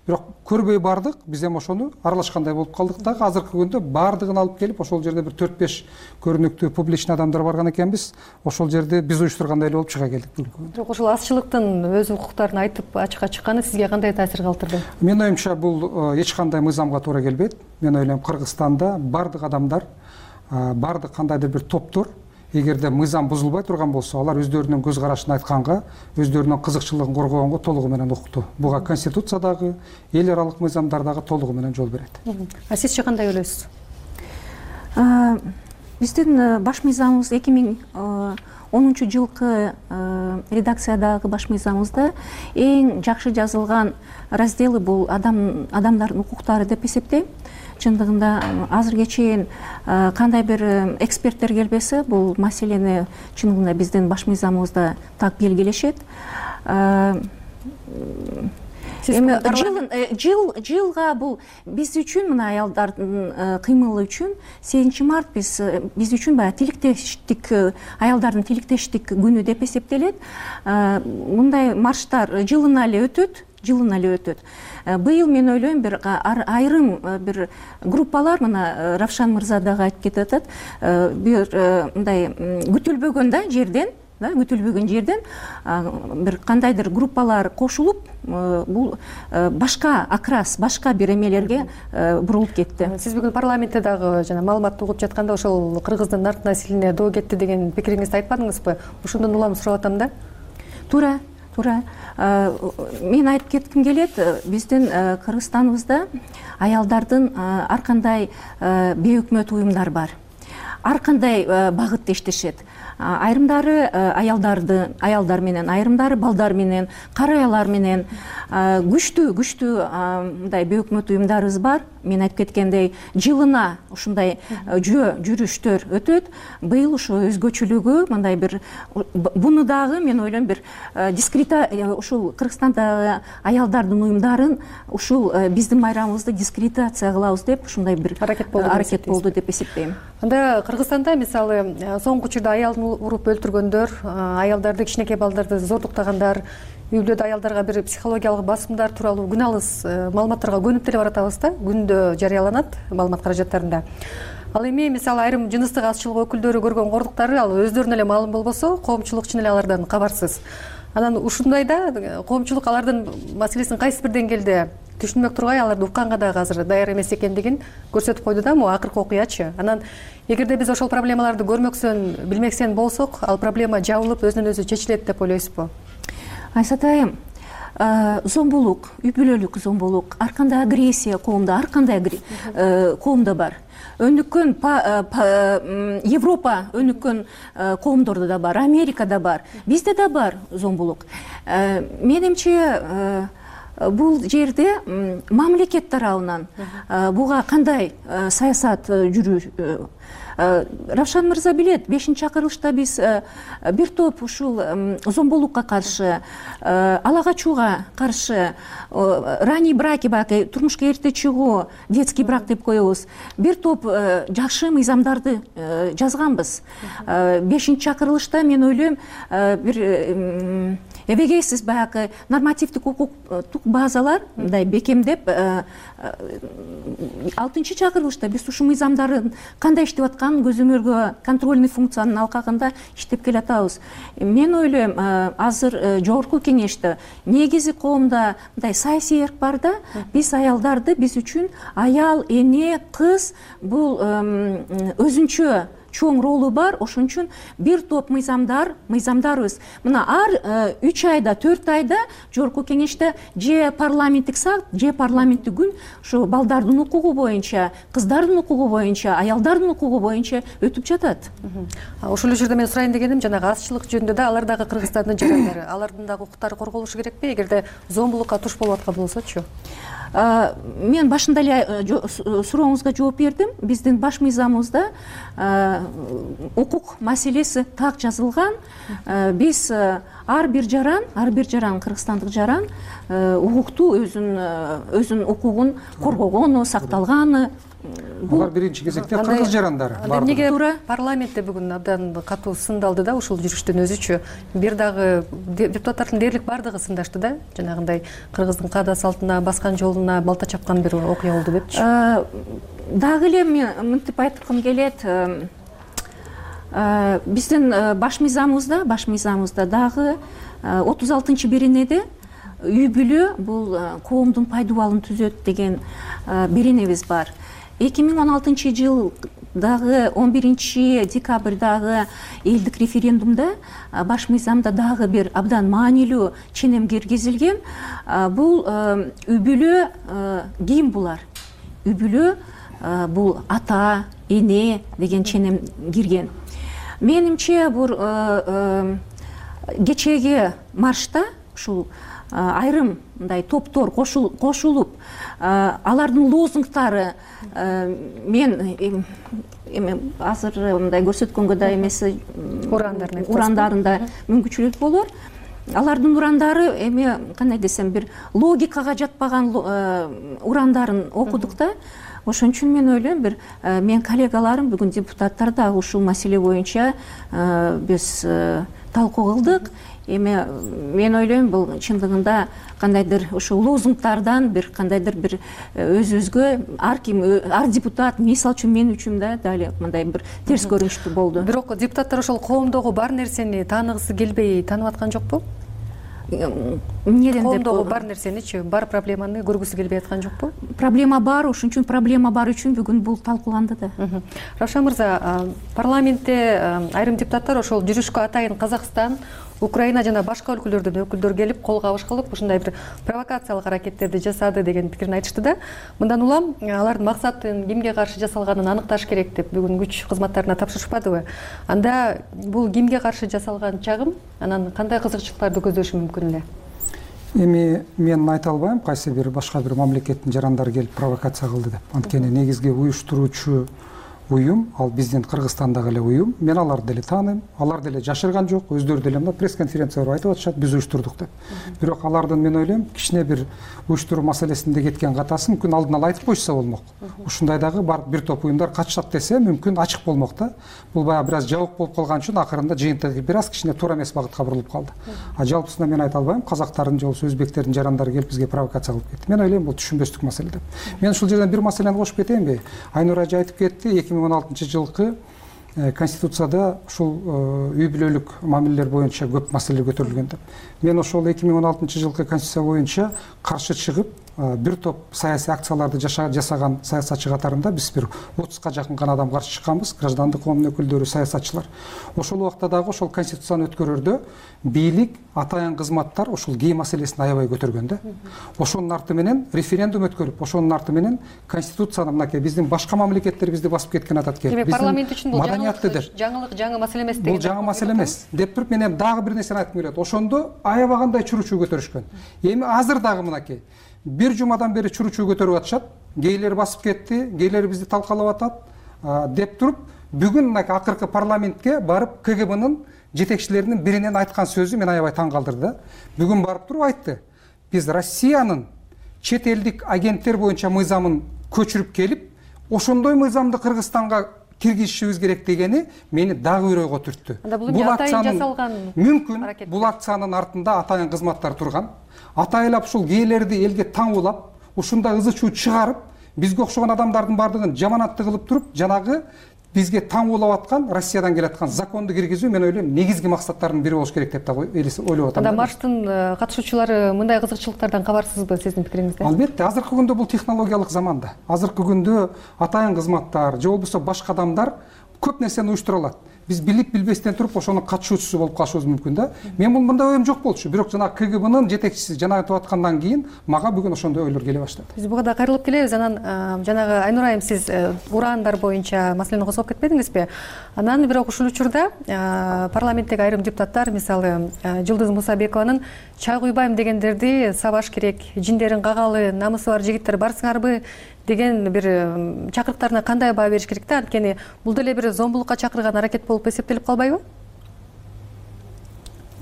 Бирок көрбөй бардык, биз эми ошону аралашкандай болуп калдык дагы. Азыркы күндө бардыгын алып келип ошол жерде бир төрт беш көрүнүктүү публичный адамдар барган экенбиз. Ошол жерде биз уюштургандай эле болуп чыга келдик. Бирок ошол азчылыктын өз укуктарын айтып ачыкка чыкканы сизге кандай таасир калтырды? Менин оюмча бул эч кандай мыйзамга туура келбейт. Мен ойлойм, Кыргызстанда бардык адамдар, бардык кандайдыр бир топтор эгерде мыйзам бузулбай турган болсо, алар өздөрүнүн көз карашын айтканга, өздөрүнүн кызыкчылыгын коргогонго толугу менен укуктуу. Буга конституциядагы, эл аралык мыйзамдардагы толугу менен жол берет. А сизчи кандай ойлойсуз? Биздин баш мыйзамыбыз эки миң онунчу жылкы редакциядагы баш мыйзамыбызда эң жакшы жазылган разделы бул адам адамдардын укуктары деп эсептейм. Чындыгында азыркыга чейин кандай бир эксперттер келбесе, бул маселени чындыгында биздин баш мыйзамыбызда так белгилешет. Эми жыл жыл жылга бул биз үчүн, мына аялдардын кыймылы үчүн сегизинчи март биз биз үчүн баягы тилектештик, аялдардын тилектештик күнү деп эсептелет. Мындай марштар жылына эле өтөт. жылына эле өтөт. Быйыл мен ойлойм, бир айрым бир группалар, мына Равшан мырза дагы айтып кетип атат, бир мындай күтүлбөгөн да жерден, да, күтүлбөгөн жерден бир кандайдыр группалар кошулуп, бул башка окрас, башка бир эмелерге бурулуп кетти. Сиз бүгүн парламентте дагы жана маалыматты угуп жатканда ошол кыргыздын нарк насилине доо кетти деген пикириңизди айтпадыңызбы? Ошондон улам сурап атам да. Туура. Туура. Мен айтып кетким келет, биздин Кыргызстаныбызда аялдардын ар кандай бейөкмөт уюмдар бар. Ар кандай багытта иштешет. Айрымдары аялдарды, аялдар менен, айрымдары балдар менен, караялар менен күчтүү, күчтүү мындай бейөкмөт уюмдарыбыз бар. Мен айтып кеткендей, жылына ушундай жөө жүрүштөр өтөт. Быйыл ошо өзгөчөлүгү мындай бир, буну дагы мен ойлойм, бир дискрита ушул Кыргызстандагы аялдардын уюмдарын ушул биздин майрамыбызды дискредитация кылабыз деп ушундай бир аракет болду деп эсептейм. Анда Кыргызстанда мисалы соңку учурда аялдын уруп өлтүргөндөр, аялдарды, кичинекей балдарды зордуктагандар, үйлөдө аялдарга бир психологиялык басымдар тууралуу күн алыс маалыматтарга көнүп деле баратабыз да, күндө жарыяланат маалымат каражаттарында. Ал эми мисалы айрым жыныстык азчылык өкүлдөрү көргөн кордуктары ал өздөрүнө эле маалым болбосо, коомчулук чын эле алардан кабарсыз. Анан ушундайда коомчулук алардын маселесин кайсы бир деңгээлде түшүнмөк тургай, аларды укканга дагы азыр даяр эмес экендигин көрсөтүп койду да, могу акыркы окуячы. Анан эгерде биз ошол проблемаларды көрмөксөн, билмексен болсок, ал проблема жабылып өзүнөн өзү чечилет деп ойлойсузбу? Айсат айым, зомбулук, үй бүлөлүк зомбулук, ар кандай агрессия коомдо, ар кандай коомдо бар. Өнүккөн Европа өнүккөн коомдордо да бар, Америкада бар, бизде да бар зомбулук. Менимче бул жерде мамлекет тарабынан буга кандай саясат жүрүү? Равшан мырза билет, бешинчи чакырылышта биз бир топ ушул зомбулукка каршы, ала качууга каршы, ранний браки, баки турмушка эрте чыгуу, детский брак деп коебуз, бир топ жакшы мыйзамдарды жазганбыз. Бешинчи чакырылышта мен ойлойм, бир эбегейсиз баягы нормативдик укуктук базалар мындай бекемдеп, алтынчы чакырылышта биз ушул мыйзамдардын кандай иштеп атканын көзөмөлгө, контрольный функциянын алкагында иштеп келатабыз. Мен ойлойм, азыр жогорку кеңеште негизи коомдо мындай саясий эрк бар да, биз аялдарды, биз үчүн аял, эне, кыз бул өзүнчө чоң ролу бар, ошон үчүн бир топ мыйзамдар, мыйзамдарыбыз. Мына ар үч айда, төрт айда жогорку кеңеште же парламенттик саат, же парламенттик күн ушу балдардын укугу боюнча, кыздардын укугу боюнча, аялдардын укугу боюнча өтүп жатат. Ошол эле жерде мен сурайын дегеним, жанагы азчылык жөнүндө да алар дагы Кыргызстандын жарандары, алардын дагы укуктары корголушу керекпи, эгерде зомбулукка туш болуп аткан болсочу? Мен башында эле сурооңузга жооп бердим. Биздин баш мыйзамыбызда укук маселеси так жазылган. Биз ар бир жаран, ар бир жаран, кыргызстандык жаран укукту өзүнүн өзүнүн укугун коргогону, сакталганы. Булар биринчи кезекте кыргыз жарандары. Эмнеге парламентте бүгүн абдан катуу сындалды да ушул жүрүштүн өзүчү? Бир дагы депутаттардын дээрлик бардыгы сындашты да, жанагындай кыргыздын каада салтына, баскан жолуна балта чапкан бир окуя болду депчи. Дагы эле мен мынтип айткым келет. Биздин баш мыйзамыбызда, баш мыйзамыбызда дагы отуз алтынчы беренеде үй бүлө бул коомдун пайдубалын түзөт деген беренебиз бар. эки миң он алтынчы жылдагы он биринчи декабрдагы элдик референдумда баш мыйзамда дагы бир абдан маанилүү ченем киргизилген. Бул үй бүлө ким булар? Үй бүлө бул ата, эне деген ченем кирген. Менимче бул кечеги маршта ушул айрым мындай топтор кошулуп, алардын лозунгтары мен эме азыр мындай көрсөткөнгө да эмес урандарында мүмкүнчүлүк болор. Алардын урандары эме кандай десем бир логикага жатпаган урандарын окудук да. Ошон үчүн мен ойлойм, бир мен коллегаларым бүгүн депутаттар да ушул маселе боюнча биз талкуу кылдык. Эме мен ойлойм, бул чындыгында кандайдыр ушул лозунгтардан бир кандайдыр бир өзүбүзгө ар ким, ар депутат, мисалы үчүн мен үчүн да дали мындай бир терс көрүнүштүү болду. Бирок депутаттар ошол коомдогу бар нерсени тааныгысы келбей танып аткан жокпу? Эмнеден деп коомдогу бар нерсеничи, бар проблеманы көргүсү келбей аткан жокпу? Проблема бар, ошон үчүн проблема бар үчүн бүгүн бул талкууланды да. Равшан мырза, парламентте айрым депутаттар ошол жүрүшкө атайын Казакстан, Украина жана башка өлкөлөрдөн өкүлдөр келип, кол кабыш кылып, ушундай бир провокациялык аракеттерди жасады деген пикирин айтышты да. Мындан улам алардын максатын кимге каршы жасалганын аныкташ керек деп бүгүн күч кызматтарына тапшырышпадыбы? Анда бул кимге каршы жасалган чагым, анан кандай кызыкчылыктарды көздөшү мүмкүн эле? Эми мен айта албайм кайсы бир башка бир мамлекеттин жарандары келип провокация кылды деп. Анткени негизги уюштуруучу уюм ал биздин Кыргызстандагы эле уюм. Мен аларды деле тааныйм. Алар деле жашырган жок. Өздөрү деле мына пресс-конференциялар айтып атышат, биз уюштурдук деп. Бирок алардын мен ойлойм, кичине бир уюштуруу маселесинде кеткен катасы мүмкүн алдын ала айтып коюшса болмок. Ушундай дагы бар бир топ уюмдар катышат десе, мүмкүн ачык болмок да. Бул баягы бир аз жабык болуп калган үчүн акырында жыйынтыгы бир аз кичине туура эмес багытка бурулуп калды. А жалпысында мен айта албайм, казактардын же болбосо өзбектердин жарандары келип бизге провокация кылып кетти. Мен ойлойм, бул түшүнбөстүк маселе деп. Мен ушул жерден бир маселени кошуп кетейинби? Айнур ажы айтып кетти, эки миң он алтынчы жылкы Конституцияда ушул үй бүлөлүк мамилелер боюнча көп маселе көтөрүлгөн деп. Мен ошол эки миң он алтынчы жылкы Конституция боюнча каршы чыгып, бир топ саясий акцияларды жасаган саясатчы катарында биз бир отузга жакын гана адам каршы чыкканбыз, граждандык коомдун өкүлдөрү, саясатчылар. Ошол убакта дагы ошол конституцияны өткөрөрдө бийлик, атайын кызматтар ошол кээ маселесин аябай көтөргөн да. Ошонун арты менен референдум өткөрүп, ошонун арты менен конституцияны мынакей биздин башка мамлекеттерибизди басып кеткен атат келип. Демек парламент үчүн бул жаңылык, жаңы маселе эмес деген. Бул жаңы маселе эмес деп туруп мен эми дагы бир нерсени айткым келет. Ошондо аябагандай чуручуу көтөрүшкөн. Эми азыр дагы мынакей бир жумадан бери чуручуу көтөрүп атышат. Кейлер басып кетти, кейлер бизди талкалап атат деп туруп бүгүн мынакей акыркы парламентке барып КГБнын жетекчилеринин биринен айткан сөзү мен аябай таң калтырды да. Бүгүн барып туруп айтты. Биз Россиянын чет элдик агенттер боюнча мыйзамын көчүрүп келип, ошондой мыйзамды Кыргызстанга киргизишибиз керек дегени мени дагы өрөөгө түрттү. Бул акциянын мүмкүн бул акциянын артында атайын кызматтар турган. Атайлап ушул кээлерди элге таңуулап, ушундай ызы чуу чыгарып, бизге окшогон адамдардын бардыгын жаманатты кылып туруп, жанагы бизге таңуулап аткан Россиядан келаткан законду киргизүү мен ойлойм негизги максаттардын бири болуш керек деп да ойлоп атам. Анда марштын катышуучулары мындай кызыкчылыктардан кабарсызбы сиздин пикириңизде? Албетте, азыркы күндө бул технологиялык заманда. Азыркы күндө атайын кызматтар же болбосо башка адамдар көп нерсени уюштура алат. Биз билип билбестен туруп ошонун катышуучусу болуп калышыбыз мүмкүн да. Мен бул мындай оюм жок болчу, бирок жана КГБнын жетекчиси жана айтып аткандан кийин мага бүгүн ошондой ойлор келе баштады. Биз буга да кайрылып келебиз. Анан жанагы Айнур айым, сиз ураандар боюнча маселени козгоп кетпедиңизби? Анан бирок ушул учурда парламенттеги айрым депутаттар, мисалы Жылдыз Мусабекованын чай куйбайм дегендерди сабаш керек, жиндерин кагалы, намысы бар жигиттер барсыңарбы деген бир чакырыктарына кандай баа бериш керек да? Анткени бул деле бир зомбулукка чакырган аракет болуп эсептелип калбайбы?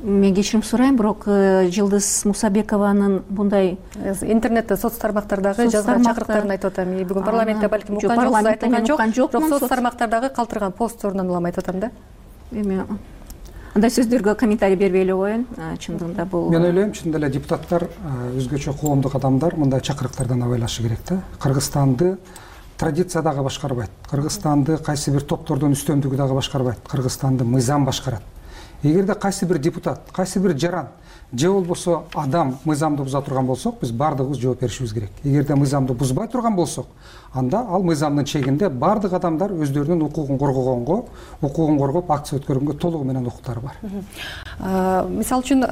Мен кечирим сурайм, бирок Жылдыз Мусабекованын bunday интернетте, соц тармактардагы жазган чакырыктарын айтып атам. Бүгүн парламентте балким уккан жок, бирок соц тармактардагы калтырган постторунан улам айтып атам да. Эми андай сөздөргө комментарий бербей эле коеюн. Чындыгында бул мен ойлойм, чынында эле депутаттар, өзгөчө коомдук адамдар мындай чакырыктардан абайлашы керек да. Кыргызстанды традиция дагы башкарбайт. Кыргызстанды кайсы бир топтордун үстөмдүгү дагы башкарбайт. Кыргызстанды мыйзам башкарат. Эгерде кайсы бир депутат, кайсы бир жаран же болбосо адам мыйзамды буза турган болсок, биз бардыгыбыз жооп беришибиз керек. Эгерде мыйзамды бузбай турган болсок, анда ал мыйзамдын чегинде бардык адамдар өздөрүнүн укугун коргогонго, укугун коргоп акция өткөргөнгө толугу менен укуктары бар. Мисалы үчүн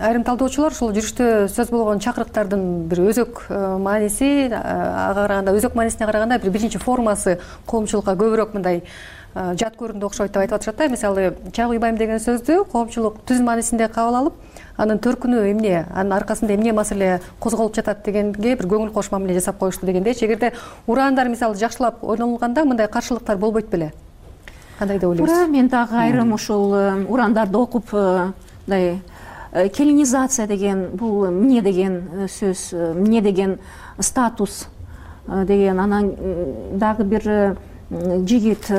айрым талдоочулар ушул жүрүштө сөз болгон чакырыктардын бир өзөк мааниси, ага караганда өзөк маанисине караганда бир биринчи формасы коомчулукка көбүрөөк мындай жат көрүндү окшойт деп айтып атышат да. Мисалы чай куйбайм деген сөздү коомчулук түз маанисинде кабыл алып, анын төркүнү эмне, анын аркасында эмне маселе козголуп жатат дегенге бир көңүл кош мамиле жасап коюшту дегендейчи. Эгерде ураандар мисалы жакшылап ойнолгондо мындай каршылыктар болбойт беле? Кандай деп ойлойсуз? Туура, мен дагы айрым ушул ураандарды окуп, мындай келинизация деген бул эмне деген сөз, эмне деген статус деген, анан дагы бир жигит,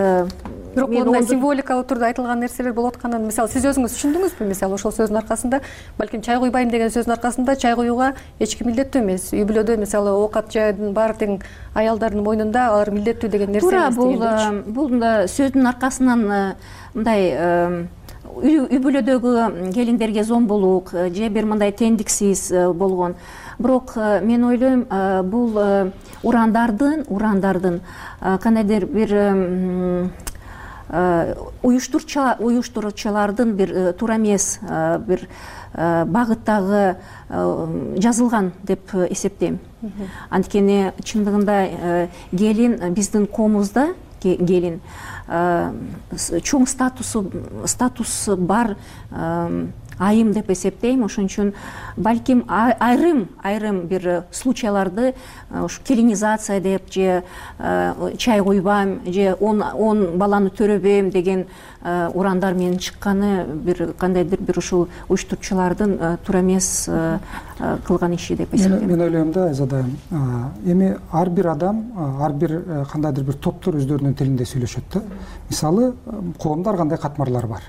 бирок мындай символикалык түрдө айтылган нерселер болуп атканын мисалы сиз өзүңүз түшүндүңүзбү? Мисалы ошол сөздүн аркасында, балким чай куйбайм деген сөздүн аркасында чай куюуга эч ким милдеттүү эмес. Үй бүлөдө мисалы оокат жаydын баары тең аялдардын мойнунда, алар милдеттүү деген нерсе эмес дегендейчи. Бул бул сөздүн аркасынан мындай үй бүлөдөгү келиндерге зомбулук же бир мындай теңдиксиз болгон. Бирок мен ойлойм, бул ураандардын ураандардын кандайдыр бир уюштуруучулардын бир туура эмес бир багыттагы жазылган деп эсептейм. Анткени чындыгында келин биздин коомубузда келин чоң статусу статусу бар айым деп эсептейм. Ошон үчүн балким айрым айрым бир случайларды ушу келинизация деп же чай куйбайм же он баланы төрөбөйм деген ураандар менен чыкканы бир кандайдыр бир ушул уюштуруучулардын туура эмес кылган иши деп эсептейм. Мен ойлойм да, Айзада, эми ар бир адам, ар бир кандайдыр бир топтор өздөрүнүн тилинде сүйлөшөт да. Мисалы, коомдо ар кандай катмарлар бар.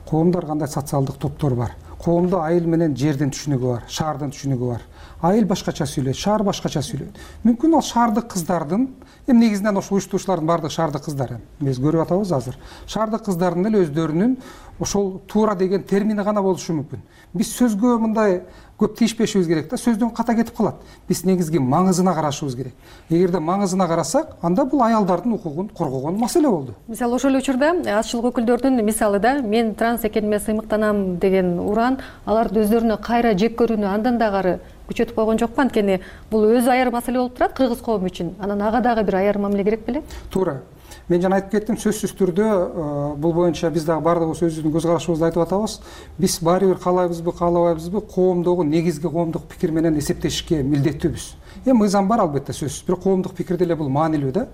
Коомдо ар кандай социалдык топтор бар. Коомдо айыл менен жердин түшүнүгү бар, шаардын түшүнүгү бар. айыл башкача сүйлөйт, шаар башкача сүйлөйт. Мүмкүн ал шаардык кыздардын, эми негизинен ошо уюштуруучулардын баардыгы шаардык кыздар, эми биз көрүп атабыз азыр. Шаардык кыздардын эле өздөрүнүн ошол туура деген термини гана болушу мүмкүн. Биз сөзгө мындай көп тийишпешибиз керек да, сөздөн ката кетип калат. Биз негизги маңызына карашыбыз керек. Эгерде маңызына карасак, анда бул аялдардын укугун коргогон маселе болду. Мисалы ошол эле учурда азчылык өкүлдөрдүн мисалы да, мен транс экениме сыймыктанам деген уран аларды өздөрүнө кайра жек көрүүнү андан дагы күчөтүп койгон жокпу? Анткени бул өзү аяр маселе болуп турат кыргыз коому үчүн. Анан ага дагы бир аяр мамиле керек беле? Туура. Мен жана айтып кеттим, сөзсүз түрдө бул боюнча биз дагы баардыгыбыз өзүбүздүн көз карашыбызды айтып атабыз. Биз баары бир каалайбызбы, каалабайбызбы, коомдогу негизги коомдук пикир менен эсептешке милдеттүүбүз. Эми мыйзам бар албетте сөзсүз, бирок коомдук пикир деле бул маанилүү да.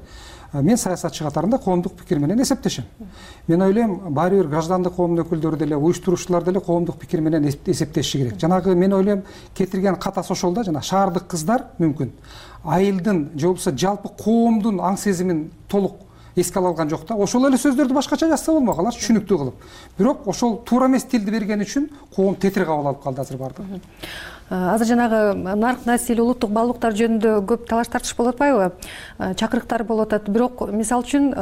Мен саясатчы катарында коомдук пикир менен эсептешем. Мен ойлойм, баары бир граждандык коомдун өкүлдөрү деле, уюштуруучулар деле коомдук пикир менен эсептеши керек. Жанагы мен ойлойм, кетирген катасы ошол да, жана шаардык кыздар мүмкүн айылдын же болбосо жалпы коомдун аң сезимин толук эске ала алган жок да. Ошол эле сөздөрдү башкача жазса болмок, алар түшүнүктүү кылып. Бирок ошол туура эмес тилди бергени үчүн коом тетир кабыл алып калды азыр баардыгы. Азыр жанагы нарк насил, улуттук баалуулуктар жөнүндө көп талаш тартыш болуп атпайбы? Чакырыктар болуп атат. Бирок мисалы үчүн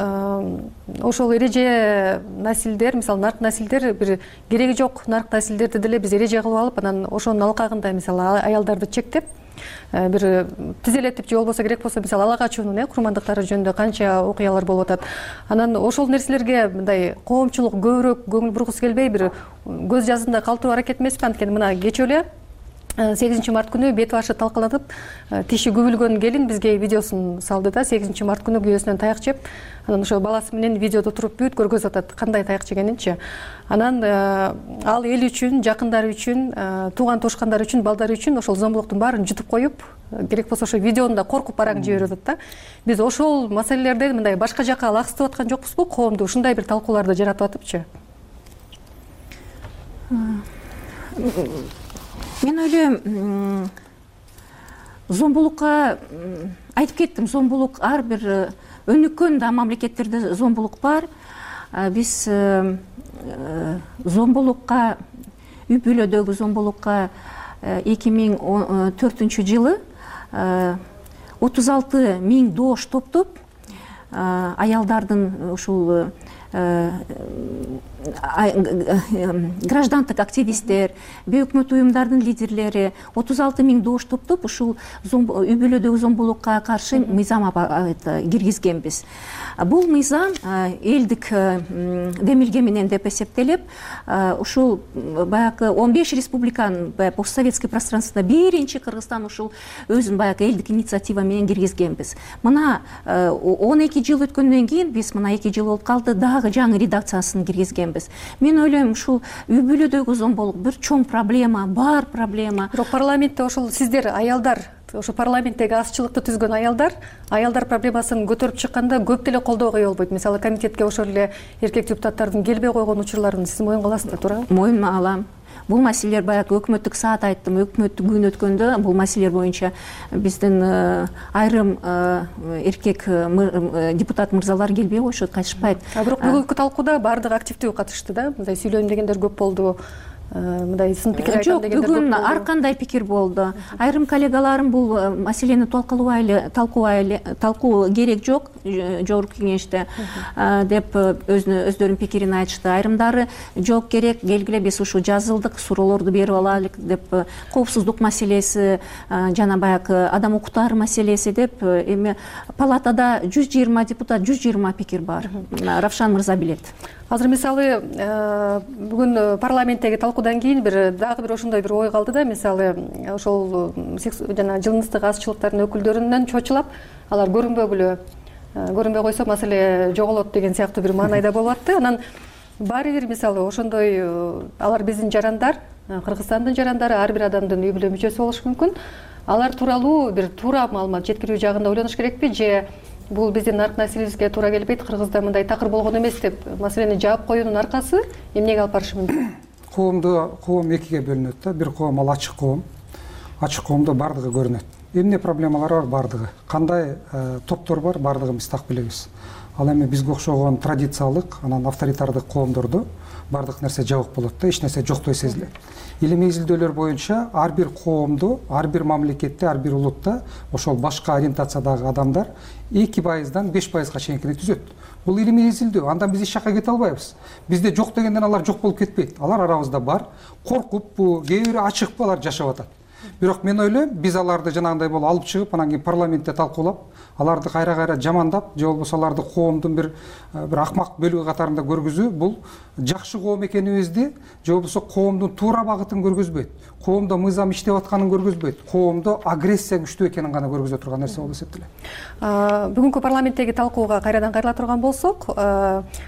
ошол эреже насилдер, мисалы нарк насилдер бир кереги жок нарк насилдерди деле биз эреже кылып алып, анан ошонун алкагында мисалы аялдарды чектеп бир тизелетип же болбосо керек болсо мисалы ала качуунун э курмандыктары жөнүндө канча окуялар болуп атат. Анан ошол нерселерге мындай коомчулук көбүрөөк көңүл бургусу келбей бир көз жазында калтыруу аракет эмеспи? Анткени мына кечээ эле сегизинчи март күнү бет башы талкаланып, тиши күбүлгөн келин бизге видеосун салды да, сегизинчи март күнү күйөөсүнөн таяк жеп, анан ошо баласы менен видеодо туруп бүт көргөзүп атат кандай таяк жегенинчи. Анан ал эл үчүн, жакындары үчүн, тууган тушкандары үчүн, балдары үчүн ошол зомбулуктун баарын жутуп коюп, керек болсо ошо видеону да коркуп бараң жиберип атат да. Биз ошол маселелерди мындай башка жака лагыстырып аткан жокпузбу? Коомду ушундай бир талкууларды жаратып атыпчы. Мен ойлойм, зомбулукка айтып кеттим, зомбулук ар бир өнүккөн да мамлекеттерде зомбулук бар. Биз зомбулукка, үй бүлөдөгү зомбулукка эки миң он төртүнчү жылы отуз алты миң доош топтоп аялдардын ушул граждандык активисттер, бейөкмөт уюмдардын лидерлери отуз алты миң доош топтоп ушул үй бүлөдөгү зомбулукка каршы мыйзам киргизгенбиз. Бул мыйзам элдик демилге менен деп эсептелип, ушул баягы он беш республиканын постсоветский пространствосунда биринчи Кыргызстан ушул өзүнүн баягы элдик инициатива менен киргизгенбиз. Мына он эки жыл өткөндөн кийин биз мына эки жыл болуп калды, дагы жаңы редакциясын киргизгенбиз. Мен ойлойм, ушул үй бүлөдөгү зомбулук бир чоң проблема, бар проблема. Бирок парламентте ошол сиздер аялдар, ошо парламенттеги азчылыкты түзгөн аялдар, аялдар проблемасын көтөрүп чыкканда көп деле колдоо кое болбойт. Мисалы комитетке ошол эле эркек депутаттардын келбей койгон учурларын сиз моюнга аласызбы, туурабы? Моюнга алам. Бул маселелер баягы өкмөттүк саат айттым, өкмөттүк күн өткөндө бул маселелер боюнча биздин айрым эркек депутат мырзалар келбей коюшат, кайтышпайт. А бирок бүгүнкү талкууда баардыгы активдүү катышты да, мындай сүйлөйм дегендер көп болду. Мындай сын пикир айткан дегендер көп болду. Бүгүн ар кандай пикир болду. Айрым коллегаларым бул маселени талкуулабайлы, талкуубайлы, талкуу керек жок жогорку кеңеште деп өздөрүнүн пикирин айтышты. Айрымдары жок керек, келгиле биз ушу жазылдык, суроолорду берип алайлык деп, коопсуздук маселеси жана баягы адам укуктары маселеси деп, эми палатада жүз жыйырма депутат, жүз жыйырма пикир бар. Равшан мырза билет. Азыр мисалы бүгүн парламенттеги талкуудан кийин бир дагы бир ошондой бир ой калды да, мисалы ошол жана жыныстык азчылыктардын өкүлдөрүнөн чочулап, алар көрүнбөгүлө, көрүнбөй койсо маселе жоголот деген сыяктуу бир маанайда болуп атты. Анан баары бир мисалы ошондой алар биздин жарандар, Кыргызстандын жарандары, ар бир адамдын үй бүлө мүчөсү болушу мүмкүн. Алар тууралуу бир туура маалымат жеткирүү жагында ойлонуш керекпи, же бул биздин нарк насилибизге туура келбейт, Кыргызда мындай такыр болгон эмес деп маселени жаап коюунун аркасы эмнеге алып барышы мүмкүн? Коомдо коом экиге бөлүнөт да. Бир коом ал ачык коом. Ачык коомдо бардыгы көрүнөт. эмне проблемалар бар, бардыгы кандай топтор бар, бардыгын биз так билебиз. Ал эми бизге окшогон традициялык анан авторитардык коомдордо бардык нерсе жабык болот да, эч нерсе жоктой сезилет. Илимий изилдөөлөр боюнча ар бир коомдо, ар бир мамлекетте, ар бир улутта ошол башка ориентациядагы адамдар эки пайыздан беш пайызга чейинкини түзөт. Бул илимий изилдөө. Андан биз эч жакка кете албайбыз. Бизде жок дегенден алар жок болуп кетпейт. Алар арабызда бар. Коркуппу, кээ бири ачыкпы алар жашап атат. Бирок мен ойлойм, биз аларды жанагындай болуп алып чыгып, анан кийин парламентте талкуулап, аларды кайра-кайра жамандап, же болбосо аларды коомдун бир бир акмак бөлүгү катарында көргүзүү бул жакшы коом экенибизди, же болбосо коомдун туура багытын көргөзбөйт. Коомдо мыйзам иштеп атканын көргөзбөйт. Коомдо агрессия күчтүү экенин гана көргөзө турган нерсе болуп эсептелет. Бүгүнкү парламенттеги талкууга кайрадан кайрыла турган болсок,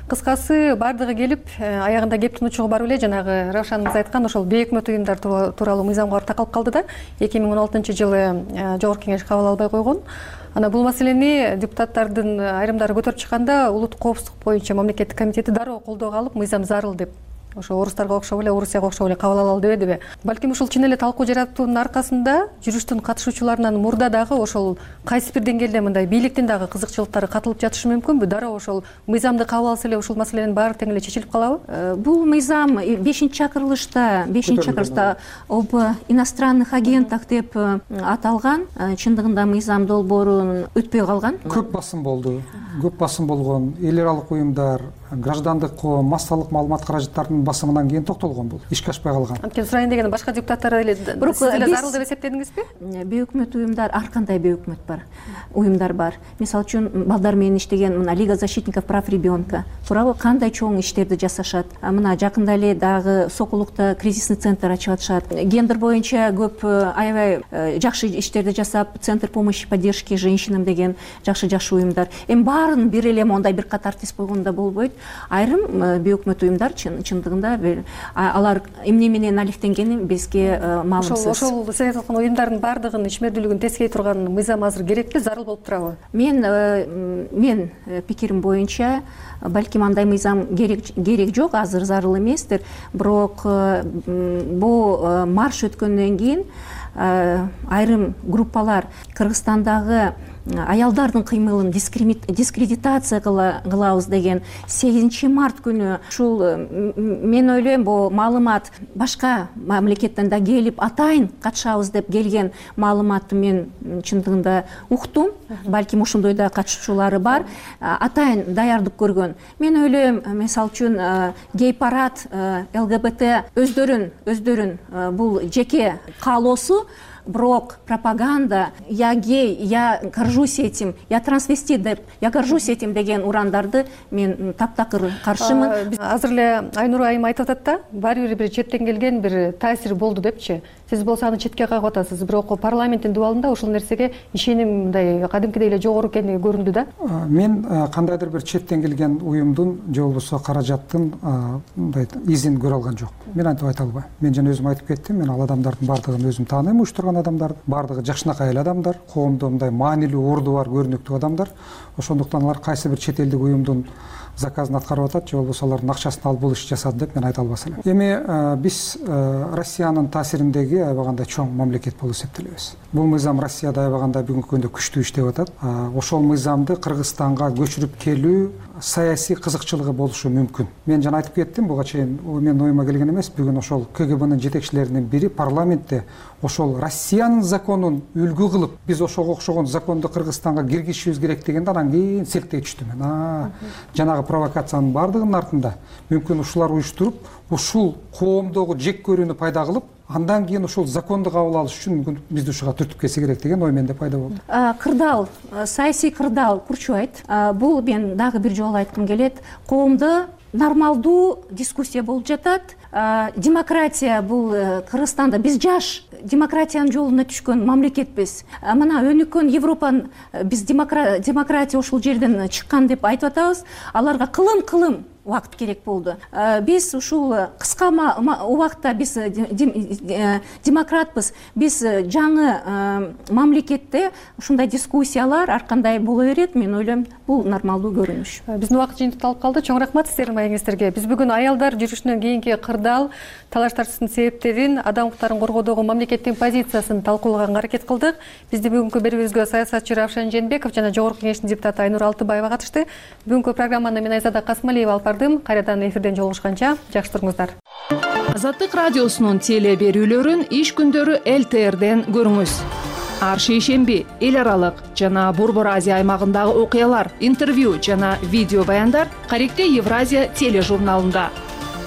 кыскасы бардыгы келип, аягында кептин учугу бар эле жанагы Равшан мырза айткан ошол бейөкмөт уюмдар тууралуу мыйзамга такалып калды да, эки миң он алтынчы жылы Жогорку Кеңеш кабыл албай койгон. Ана бул маселени депутаттардын айрымдары көтөрүп чыкканда улуттук коопсуздук боюнча мамлекеттик комитети дароо колдоого алып, мыйзам зарыл деп, ошо орустарга окшоп эле, Орусияга окшоп эле кабыл алалы дебедиби? Балким ушул чын эле талкуу жаратуунун аркасында жүрүштүн катышуучуларынан мурда дагы ошол кайсы бир деңгээлде мындай бийликтин дагы кызыкчылыктары катылып жатышы мүмкүнбү? Дароо ошол мыйзамды кабыл алса эле ушул маселенин баары тең эле чечилип калабы? Бул мыйзам бешинчи чакырылышта, бешинчи чакырылышта об иностранных агентах деп аталган. Чындыгында мыйзам долбоорун өтпөй калган. Көп басым болду. Көп басым болгон эл аралык уюмдар, граждандык коом, массалык маалымат каражаттарынын басымынан кийин токтолгон бул. Ишке ашпай калган. Анткени сурайын дегенде башка депутаттар эле сиз эле зарыл деп эсептедиңизби? Бейөкмөт уюмдар, ар кандай бейөкмөт бар, уюмдар бар. Мисалы үчүн балдар менен иштеген мына Лига защитников прав ребенка тууралуу кандай чоң иштерди жасашат. Мына жакында эле дагы Сокулукта кризисный центр ачып атышат. Гендер боюнча көп аябай жакшы иштерди жасап, Центр помощи поддержки женщинам деген жакшы-жакшы уюмдар. Эми баарын бир эле мондай бир катар тиз койгондо болбойт. Айрым бейөкмөт уюмдар чындыгында алар эмне менен алектенгени бизге маалымсыз. Ошол сиз айткан уюмдардын баардыгынын ишмердүүлүгүн тескей турган мыйзам азыр керекпи, зарыл болуп турабы? Мен мен пикирим боюнча балким андай мыйзам керек керек жок, азыр зарыл эместир. Бирок бул марш өткөндөн кийин айрым группалар Кыргызстандагы аялдардын кыймылын дискредитация кылабыз деген сегизинчи март күнү ушул мен ойлойм бул маалымат башка мамлекеттен да келип атайын катышабыз деп келген маалыматты мен чындыгында уктум. Балким ошондой да катышуучулары бар. Атайын даярдык көргөн. Мен ойлойм, мисалы үчүн гей парад, ЛГБТ өздөрүн өздөрүн бул жеке каалоосу, бирок пропаганда я гей, я горжусь этим, я трансвестит деп, я горжусь этим деген урандарды мен таптакыр каршымын. Азыр эле Айнур айым айтып атат да, баары бир четтен келген бир таасир болду депчи. Сиз болсо аны четке кагып атасыз, бирок парламенттин дубалында ушул нерсеге ишеним мындай кадимкидей эле жогору экени көрүндү да. Мен кандайдыр бир четтен келген уюмдун же болбосо каражаттын мындай изин көрө алган жок. Мен антип айта албайм. Мен жана өзүм айтып кеттим, мен ал адамдардын баардыгын өзүм тааныйм, уюштурган адамдар, баардыгы жакшынакай эле адамдар, коомдо мындай маанилүү орду бар, көрүнүктүү адамдар. Ошондуктан алар кайсы бир чет элдик уюмдун заказын аткарып атат, же болбосо алардын акчасын алып бул иш жасады деп мен айта албас элем. Эми биз Россиянын таасириндеги аябагандай чоң мамлекет болуп эсептелебиз. Бул мыйзам Россияда аябагандай бүгүнкү күндө күчтүү иштеп атат. Ошол мыйзамды Кыргызстанга көчүрүп келүү саясий кызыкчылыгы болушу мүмкүн. Мен жана айтып кеттим, буга чейин мен оюма келген эмес. Бүгүн ошол КГБнын жетекчилеринин бири парламентте ошол Россиянын законун үлгү кылып, биз ошого окшогон законду Кыргызстанга киргизишибиз керек дегенде анан кийин селтей түштүм мен. А, жанагы провокациянын баардыгынын артында мүмкүн ушулар уюштуруп, ушул коомдогу жек көрүүнү пайда кылып, андан кийин ушул законду кабыл алыш үчүн мүмкүн бизди ушуга түртүп кетсе керек деген ой менде пайда болду. Кырдаал, саясий кырдаал курчубайт. Бул мен дагы бир жолу айткым келет. Коомдо нормалдуу дискуссия болуп жатат. Демократия бул Кыргызстанда биз жаш демократиянын жолуна түшкөн мамлекетпиз. Мына өнүккөн Европанын биз демократия ушул жерден чыккан деп айтып атабыз. Аларга кылым-кылым убакыт керек болду. Биз ушул кыска убакытта биз демократпыз. Биз жаңы мамлекетте ушундай дискуссиялар ар кандай боло берет. Мен ойлойм, бул нормалдуу көрүнүш. Биздин убакыт жыйынтыкталып калды. Чоң рахмат сиздердин маегиңиздерге. Биз бүгүн аялдар жүрүшүнөн кийинки кырдаал, талаштардын себептерин, адам укуктарын коргоодогу мамлекеттин позициясын талкуулаганга аракет кылдык. Бизди бүгүнкү берүүбүзгө саясатчы Равшан Жээнбеков жана Жогорку Кеңештин депутаты Айнур Алтыбаева катышты. Бүгүнкү программаны мен Айзада Касмалиева алып бардым. Кайрадан эфирден жолугушканча жакшы туруңуздар. Азаттык радиосунун теле берүүлөрүн иш күндөрү эл тэ эрден көрүңүз. Ар шейшемби эл аралык жана Борбор Азия аймагындагы окуялар, интервью жана видео баяндар Каректе Евразия тележурналында.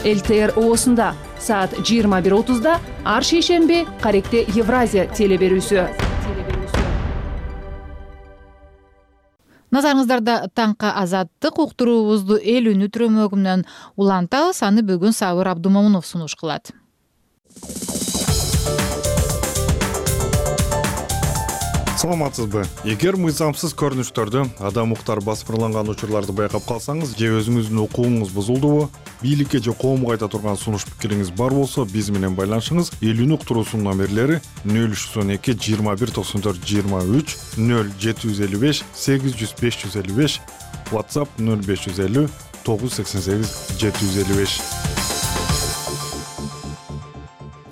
эл тэ эр оосунда саат жыйырма бир отузда ар шейшемби Каректе Евразия теле берүүсү. Назарыңыздарда таңкы азаттык уктуруубузду эл үнү түрөмөгү менен улантабыз. Аны бүгүн Сабыр Абдумомунов сунуш кылат. Саламатсызбы? Эгер мыйзамсыз көрүнүштөрдү, адам укуктары басмырланган учурларды байкап калсаңыз же өзүңүздүн укугуңуз бузулдубу, бийликке же коомго айта турган сунуш пикириңиз бар болсо, биз менен байланышыңыз. Эл үнү уктуруусунун номерлери нөл үч жүз он эки жыйырма бир токсон төрт жыйырма үч, нөл жети жүз элүү беш сегиз жүз беш жүз элүү беш, WhatsApp нөл беш жүз элүү тогуз жүз сексен сегиз жети жүз элүү беш.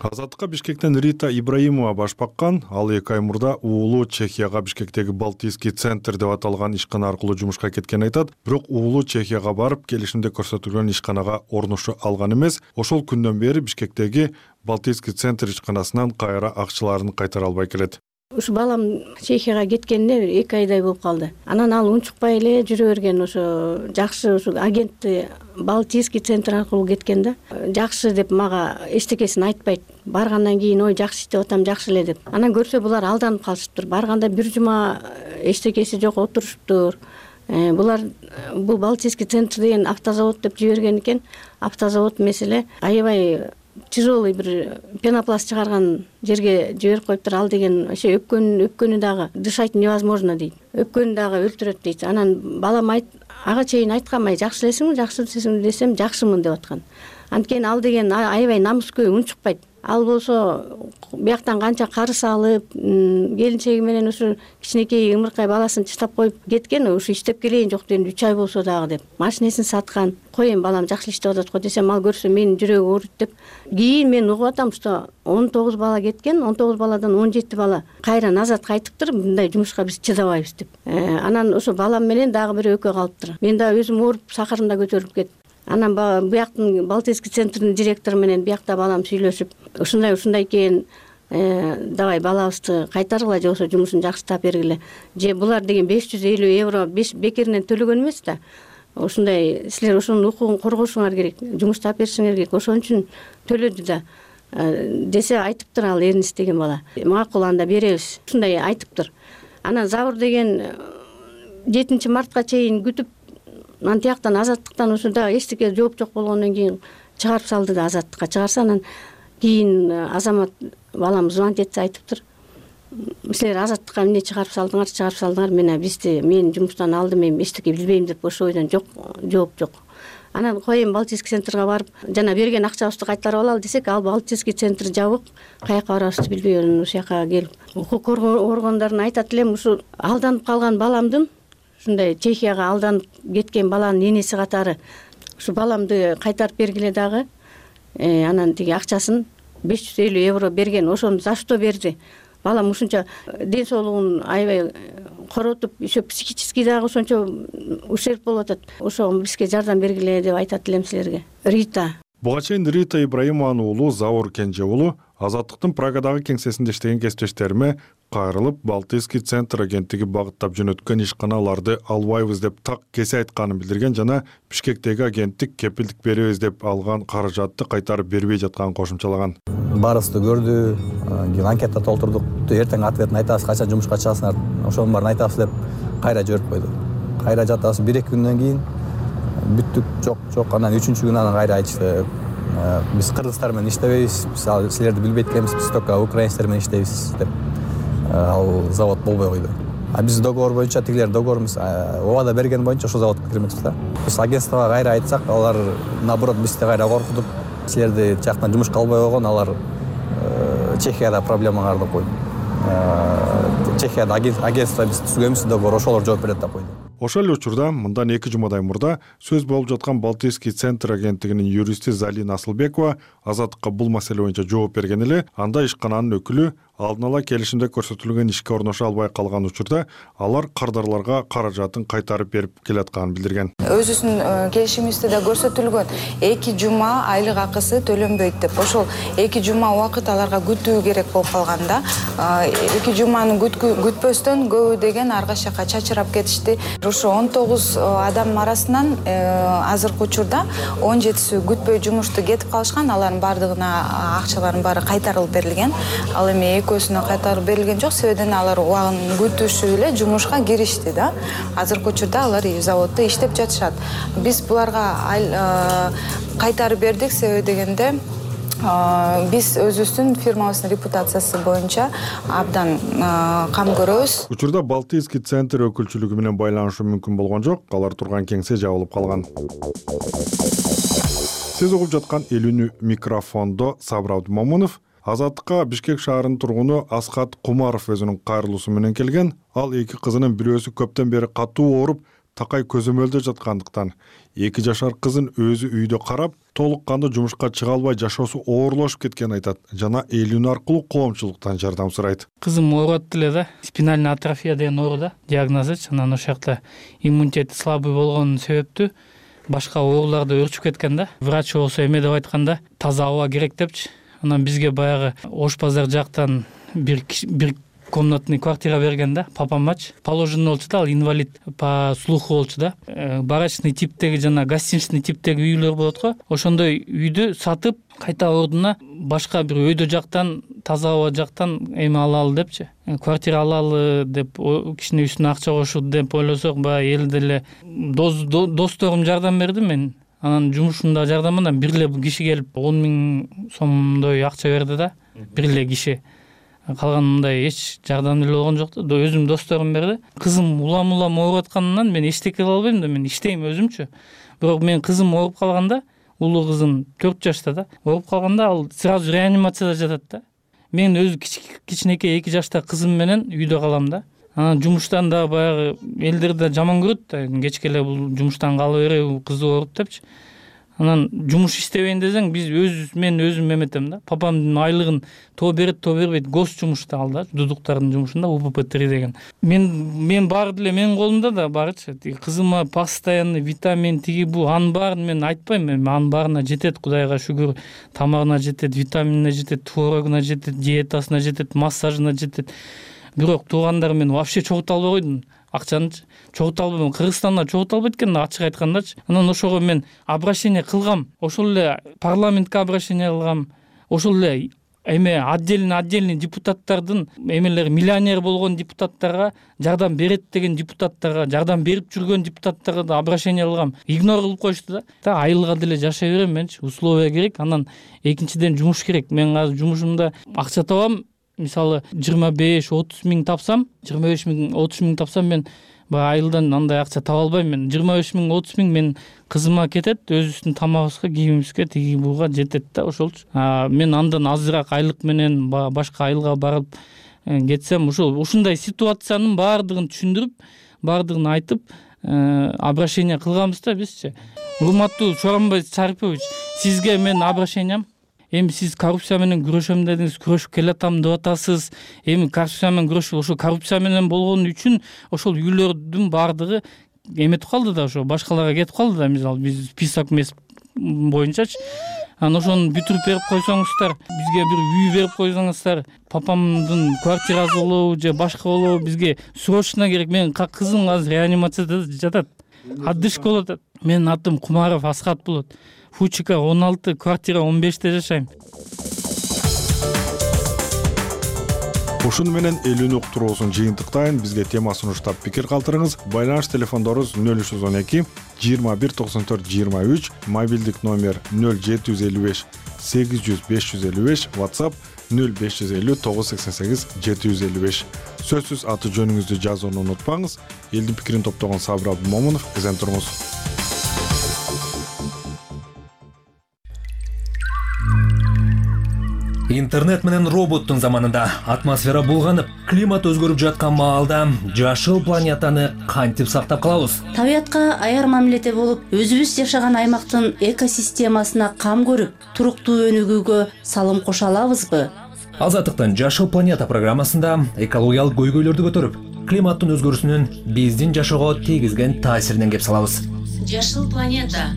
Азаттыкка Бишкектен Рита Ибраимова баш баккан. Ал эки ай мурда уулу Чехияга Бишкектеги Балтийский центр деп аталган ишкана аркылуу жумушка кеткен айтат. Бирок уулу Чехияга барып, келишимде көрсөтүлгөн ишканага орношу алган эмес. Ошол күндөн бери Бишкектеги Балтийский центр ишканасынан кайра акчаларын кайтара албай келет. Ушу балам Чехияга кеткенине эки айдай болуп калды. Анан ал унчукпай эле жүрө берген, ошо жакшы ушу агентти Балтийский центр аркылуу кеткен да. Жакшы деп мага эчтекесин айтпайт. Баргандан кийин ой жакшы иштеп атам, жакшы эле деп. Анан көрсө булар алданып калышыптыр. Барганда бир жума эчтекеси жок отурушуптур. Булар бул Балтийский центр деген автозавод деп жиберген экен. Автозавод эмес эле, аябай тяжелый бир пенопласт чыгарган жерге жиберип коюптур. Ал деген ошо өпкөн өпкөнү дагы дышать невозможно дейт. Өпкөнү дагы өлтүрөт дейт. Анан балам айт, ага чейин айткам, ай жакшы элесиңби, жакшы элесиңби десем, жакшымын деп аткан. Анткени ал деген аябай намыскөй, унчукпайт. Ал болсо бияктан канча карыз алып, келинчеги менен ушу кичинекей ымыркай баласын чыштап коюп кеткен, ушу иштеп келейин жок дегенде үч ай болсо дагы деп. Машинесин саткан. Коем балам жакшы иштеп атат го десем, ал көрсө менин жүрөгүм ооруйт деп. Кийин мен угуп атам, что он тогуз бала кеткен, он тогуз баладан он жети бала кайра назад кайтыптыр, мындай жумушка биз чыдабайбыз деп. Анан ошо балам менен дагы бир экөө калыптыр. Мен дагы өзүм ооруп, сахарымда көтөрүлүп кетип. Анан бияктын Балтийский центрдин директору менен биякта балам сүйлөшүп, ушундай ушундай экен, давай балабызды кайтаргыла же болбосо жумушун жакшыртап бергиле. Же булар деген беш жүз элүү евро бекеринен төлөгөн эмес да. Ушундай силер ошонун укугун коргошуңар керек, жумуштап беришиңер керек. Ошон үчүн төлөдү да десе айтыптыр ал Эрнис деген бала. Макул, анда беребиз. Ушундай айтыптыр. Анан Забур деген жетинчи мартка чейин күтүп, анан тияктан азаттыктан ушунда эчтеке жооп жок болгондон кийин чыгарып салды да, азаттыкка чыгарса, анан кийин Азамат балам звонить этсе айтыптыр. Силер азаттыкка эмне чыгарып салдыңар, чыгарып салдыңар, мен бизди мен жумуштан алдым, мен эчтеке билбейм деп ошо ойдон жок, жооп жок. Анан коем Балтийский центрге барып, жана берген акчабызды кайтарып алалы десек, ал Балтийский центр жабык, каяка барабызды билбей ушул жака келип. Укук коргоо органдарына айтат элем, ушу алданып калган баламдын, ушундай Чехияга алданып кеткен баланын энеси катары ушу баламды кайтарып бергиле дагы. Анан тиги акчасын беш жүз элүү евро берген, ошону за что берди? Балам ушунча ден соолугун аябай коротуп, еще психический дагы ошончо ущерб болуп атат. Ошого бизге жардам бергиле деп айтат элем силерге. Рита. Буга чейин Рита Ибраимованын уулу Заур Кенже уулу Азаттыктын Прагадагы кеңсесинде иштеген кесиптештериме кайрылып, Балтийский центр агенттиги багыттап жөнөткөн ишканаларды албайбыз деп так кесе айтканын билдирген жана Бишкектеги агенттик кепилдик беребиз деп алган каражатты кайтарып бербей жатканын кошумчалаган. Баарыбызды көрдү, кийин анкета толтурдук. Эртең ответин айтабыз, качан жумушка чыгасыңар, ошонун баарын айтабыз деп кайра жиберип койду. Кайра жатабыз, бир эки күндөн кийин бүттүк, жок, жок, анан үчүнчү күнү анан кайра айтышты. Биз кыргыздар менен иштебейбиз, биз силерди билбейт экенбиз, биз только украинецтер менен иштейбиз деп ал завод болбой койду. а биз договор боюнча тигилер договорубуз убада берген боюнча ошол заводко кирмекчиз да. Биз агентствого кайра айтсак, алар наоборот бизди кайра коркутуп, силерди жактан жумушка албай койгон, алар Чехияда проблемаңарды койду. Чехияда агентство биз түзгөнбүз, договор ошолор жооп берет деп койду. Ошол эле учурда мындан эки жумадай мурда сөз болуп жаткан Балтийский центр агенттигинин юристи Залина Асылбекова Азаттыкка бул маселе боюнча жооп берген эле, анда ишкананын өкүлү алдын ала келишимде көрсөтүлгөн ишке орношо албай калган учурда алар кардарларга каражатын кайтарып берип келатканын билдирген. Өзүбүздүн келишимибизде да көрсөтүлгөн эки жума айлык акысы төлөнбөйт деп. Ошол эки жума убакыт аларга күтүү керек болуп калганда, эки жуманы күтпөстөн көбү деген арга жака чачырап кетишти. Ошо он тогуз адам арасынан азыркы учурда он жетиси күтпөй жумушту кетип калышкан, алардын баардыгына акчалардын баары кайтарылып берилген. Ал эми экөөсүнө кайтарып берилген жок, себебинен алар убагын күтүшүп эле жумушка киришти да. Азыркы учурда алар заводдо иштеп жатышат. Биз буларга кайтарып бердик, себеби дегенде биз өзүбүздүн фирмабыздын репутациясы боюнча абдан кам көрөбүз. Учурда Балтийский центр өкүлчүлүгү менен байланышуу мүмкүн болгон жок, алар турган кеңсе жабылып калган. Сиз угуп жаткан элүүнү микрофондо Сабыр Абдымомунов. Азаттыкка Бишкек шаарынын тургуну Асхат Кумаров өзүнүн кайрылуусу менен келген. Ал эки кызынын бирөөсү көптөн бери катуу ооруп, такай көзөмөлдө жаткандыктан эки жашар кызын өзү үйдө карап, толук кандуу жумушка чыга албай жашоосу оорлошуп кеткенин айтат жана элүүнү аркылуу коомчулуктан жардам сурайт. Кызым ооруп эле да, спинальный атрофия деген оору да, диагнозу. Анан ошол жакта иммунитети слабый болгон себептүү башка ооруларды өрчүп кеткен да. Врач болсо эме деп айтканда, таза аба керек депчи. Анан бизге баягы Ош базар жактан бир бир комнатный квартира берген да, папамач. Положенный болчу да, ал инвалид по слуху болчу да. Барачный типтеги жана гостиничный типтеги үйлөр болот го. Ошондой үйдү сатып, кайта ордуна башка бир өйдө жактан, таза аба жактан эме алалы депчи. Квартира алалы деп, кичине үстүнө акча кошут деп ойлосок, баягы эл деле досторум жардам берди мен. Анан жумушумда жардамынан бир эле киши келип он миң сомдой акча берди да, бир эле киши. Калган мындай эч жардам деле болгон жок да, өзүм досторум берди. Кызым улам-улам ооруп атканынан мен эчтеке кыла албайм да, мен иштейм өзүмчү. Бирок мен кызым ооруп калганда, улуу кызым төрт жашта да, ооруп калганда ал сразу реанимацияда жатат да. Мен өзү кичинекей эки жашта кызым менен үйдө калам да. Анан жумуштан да баягы элдер да жаман көрөт да, кечке эле бул жумуштан кала береби, кызы ооруп депчи. Анан жумуш иштебейин десең, биз өз мен өзүм эметем да. Папамдын айлыгын то берет, то бербейт. Гос жумушта ал да, дудуктардын жумушунда У П П три деген. Мен мен баары деле менин колумда да барычы. Кызыма постоянный витамин тиги бу, анын баарын мен айтпайм, мен анын баарына жетет, Кудайга шүгүр. Тамагына жетет, витаминине жетет, творогуна жетет, диетасына жетет, массажына жетет. Бирок туугандар мен вообще чогулта албай койдум. Акчаны чогулта албайм. Кыргызстанда чогулта албайт экен, ачык айткандачы. Анан ошого мен обращение кылгам. Ошол эле парламентке обращение кылгам. Ошол эле эме отдельный отдельный депутаттардын эмелери, миллионер болгон депутаттарга жардам берет деген депутаттарга, жардам берип жүргөн депутаттарга да обращение кылгам. Игнор кылып коюшту да. Та айылга деле жашай берем менчи. Условия керек. Анан экинчиден жумуш керек. Мен азыр жумушумда акча табам. Мисалы жыйырма беш отуз миң тапсам, жыйырма беш миң отуз миң тапсам, мен баягы айылдан андай акча таба албайм. Мен жыйырма беш миң отуз миң мен кызыма кетет, өзүбүздүн тамагыбызга, кийимибизге, тиги буга жетет да, ошолчу. Мен андан азыраак айлык менен башка айылга барып кетсем, ошол ушундай ситуациянын баардыгын түшүндүрүп, баардыгын айтып, обращение кылганбыз да бизчи. Урматтуу Чоронбай Шарипович, сизге мен обращениям. Эми сиз коррупция менен күрөшөм дедиңиз, күрөшүп келатам деп атасыз. Эми коррупция менен күрөшүп, ошо коррупция менен болгон үчүн ошол үйлөрдүн баардыгы эметип калды да, ошо башкаларга кетип калды да, мисалы биз список эмес боюнчачы. Анан ошону бүтүрүп берип койсоңуздар, бизге бир үй берип койсоңуздар, папамдын квартирасы болобу же башка болобу, бизге срочно керек. Менин кызым азыр реанимацияда жатат. Отдышка болот. Менин атым Кумаров Асхат болот. Фучика он алты, квартира он беште жашайм. ушуну менен элүүнү уктуруусун жыйынтыктайын. Бизге тема сунуштап пикир калтырыңыз. Байланыш телефондорубуз нөл үч жүз он эки жыйырма бир токсон төрт жыйырма үч, мобилдик номер нөл жети жүз элүү беш сегиз жүз беш жүз элүү беш, WhatsApp нөл беш жүз элүү тогуз жүз сексен сегиз жети жүз элүү беш. Сөзсүз аты жөнүңүздү жазууну унутпаңыз. Элдин пикирин топтогон Сабыр Абдымомунов, эзен туруңуз. Интернет менен роботтун заманында атмосфера булганып, климат өзгөрүп жаткан маалда жашыл планетаны кантип сактап калабыз? Табиятка аяр мамиледе болуп, өзүбүз жашаган аймактын экосистемасына кам көрүп, туруктуу өнүгүүгө салым кошо алабызбы? Азаттыктын Жашыл планета программасында экологиялык көйгөйлөрдү көтөрүп, климаттын өзгөрүүсүнүн биздин жашоого тийгизген таасиринен кеп салабыз. Жашыл планета.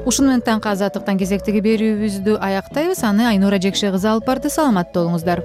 Ушуну менен таңкы азаттыктан кезектеги берүүбүздү аяктайбыз. Аны Айнура Жекше кызы алып барды. Саламатта болуңуздар.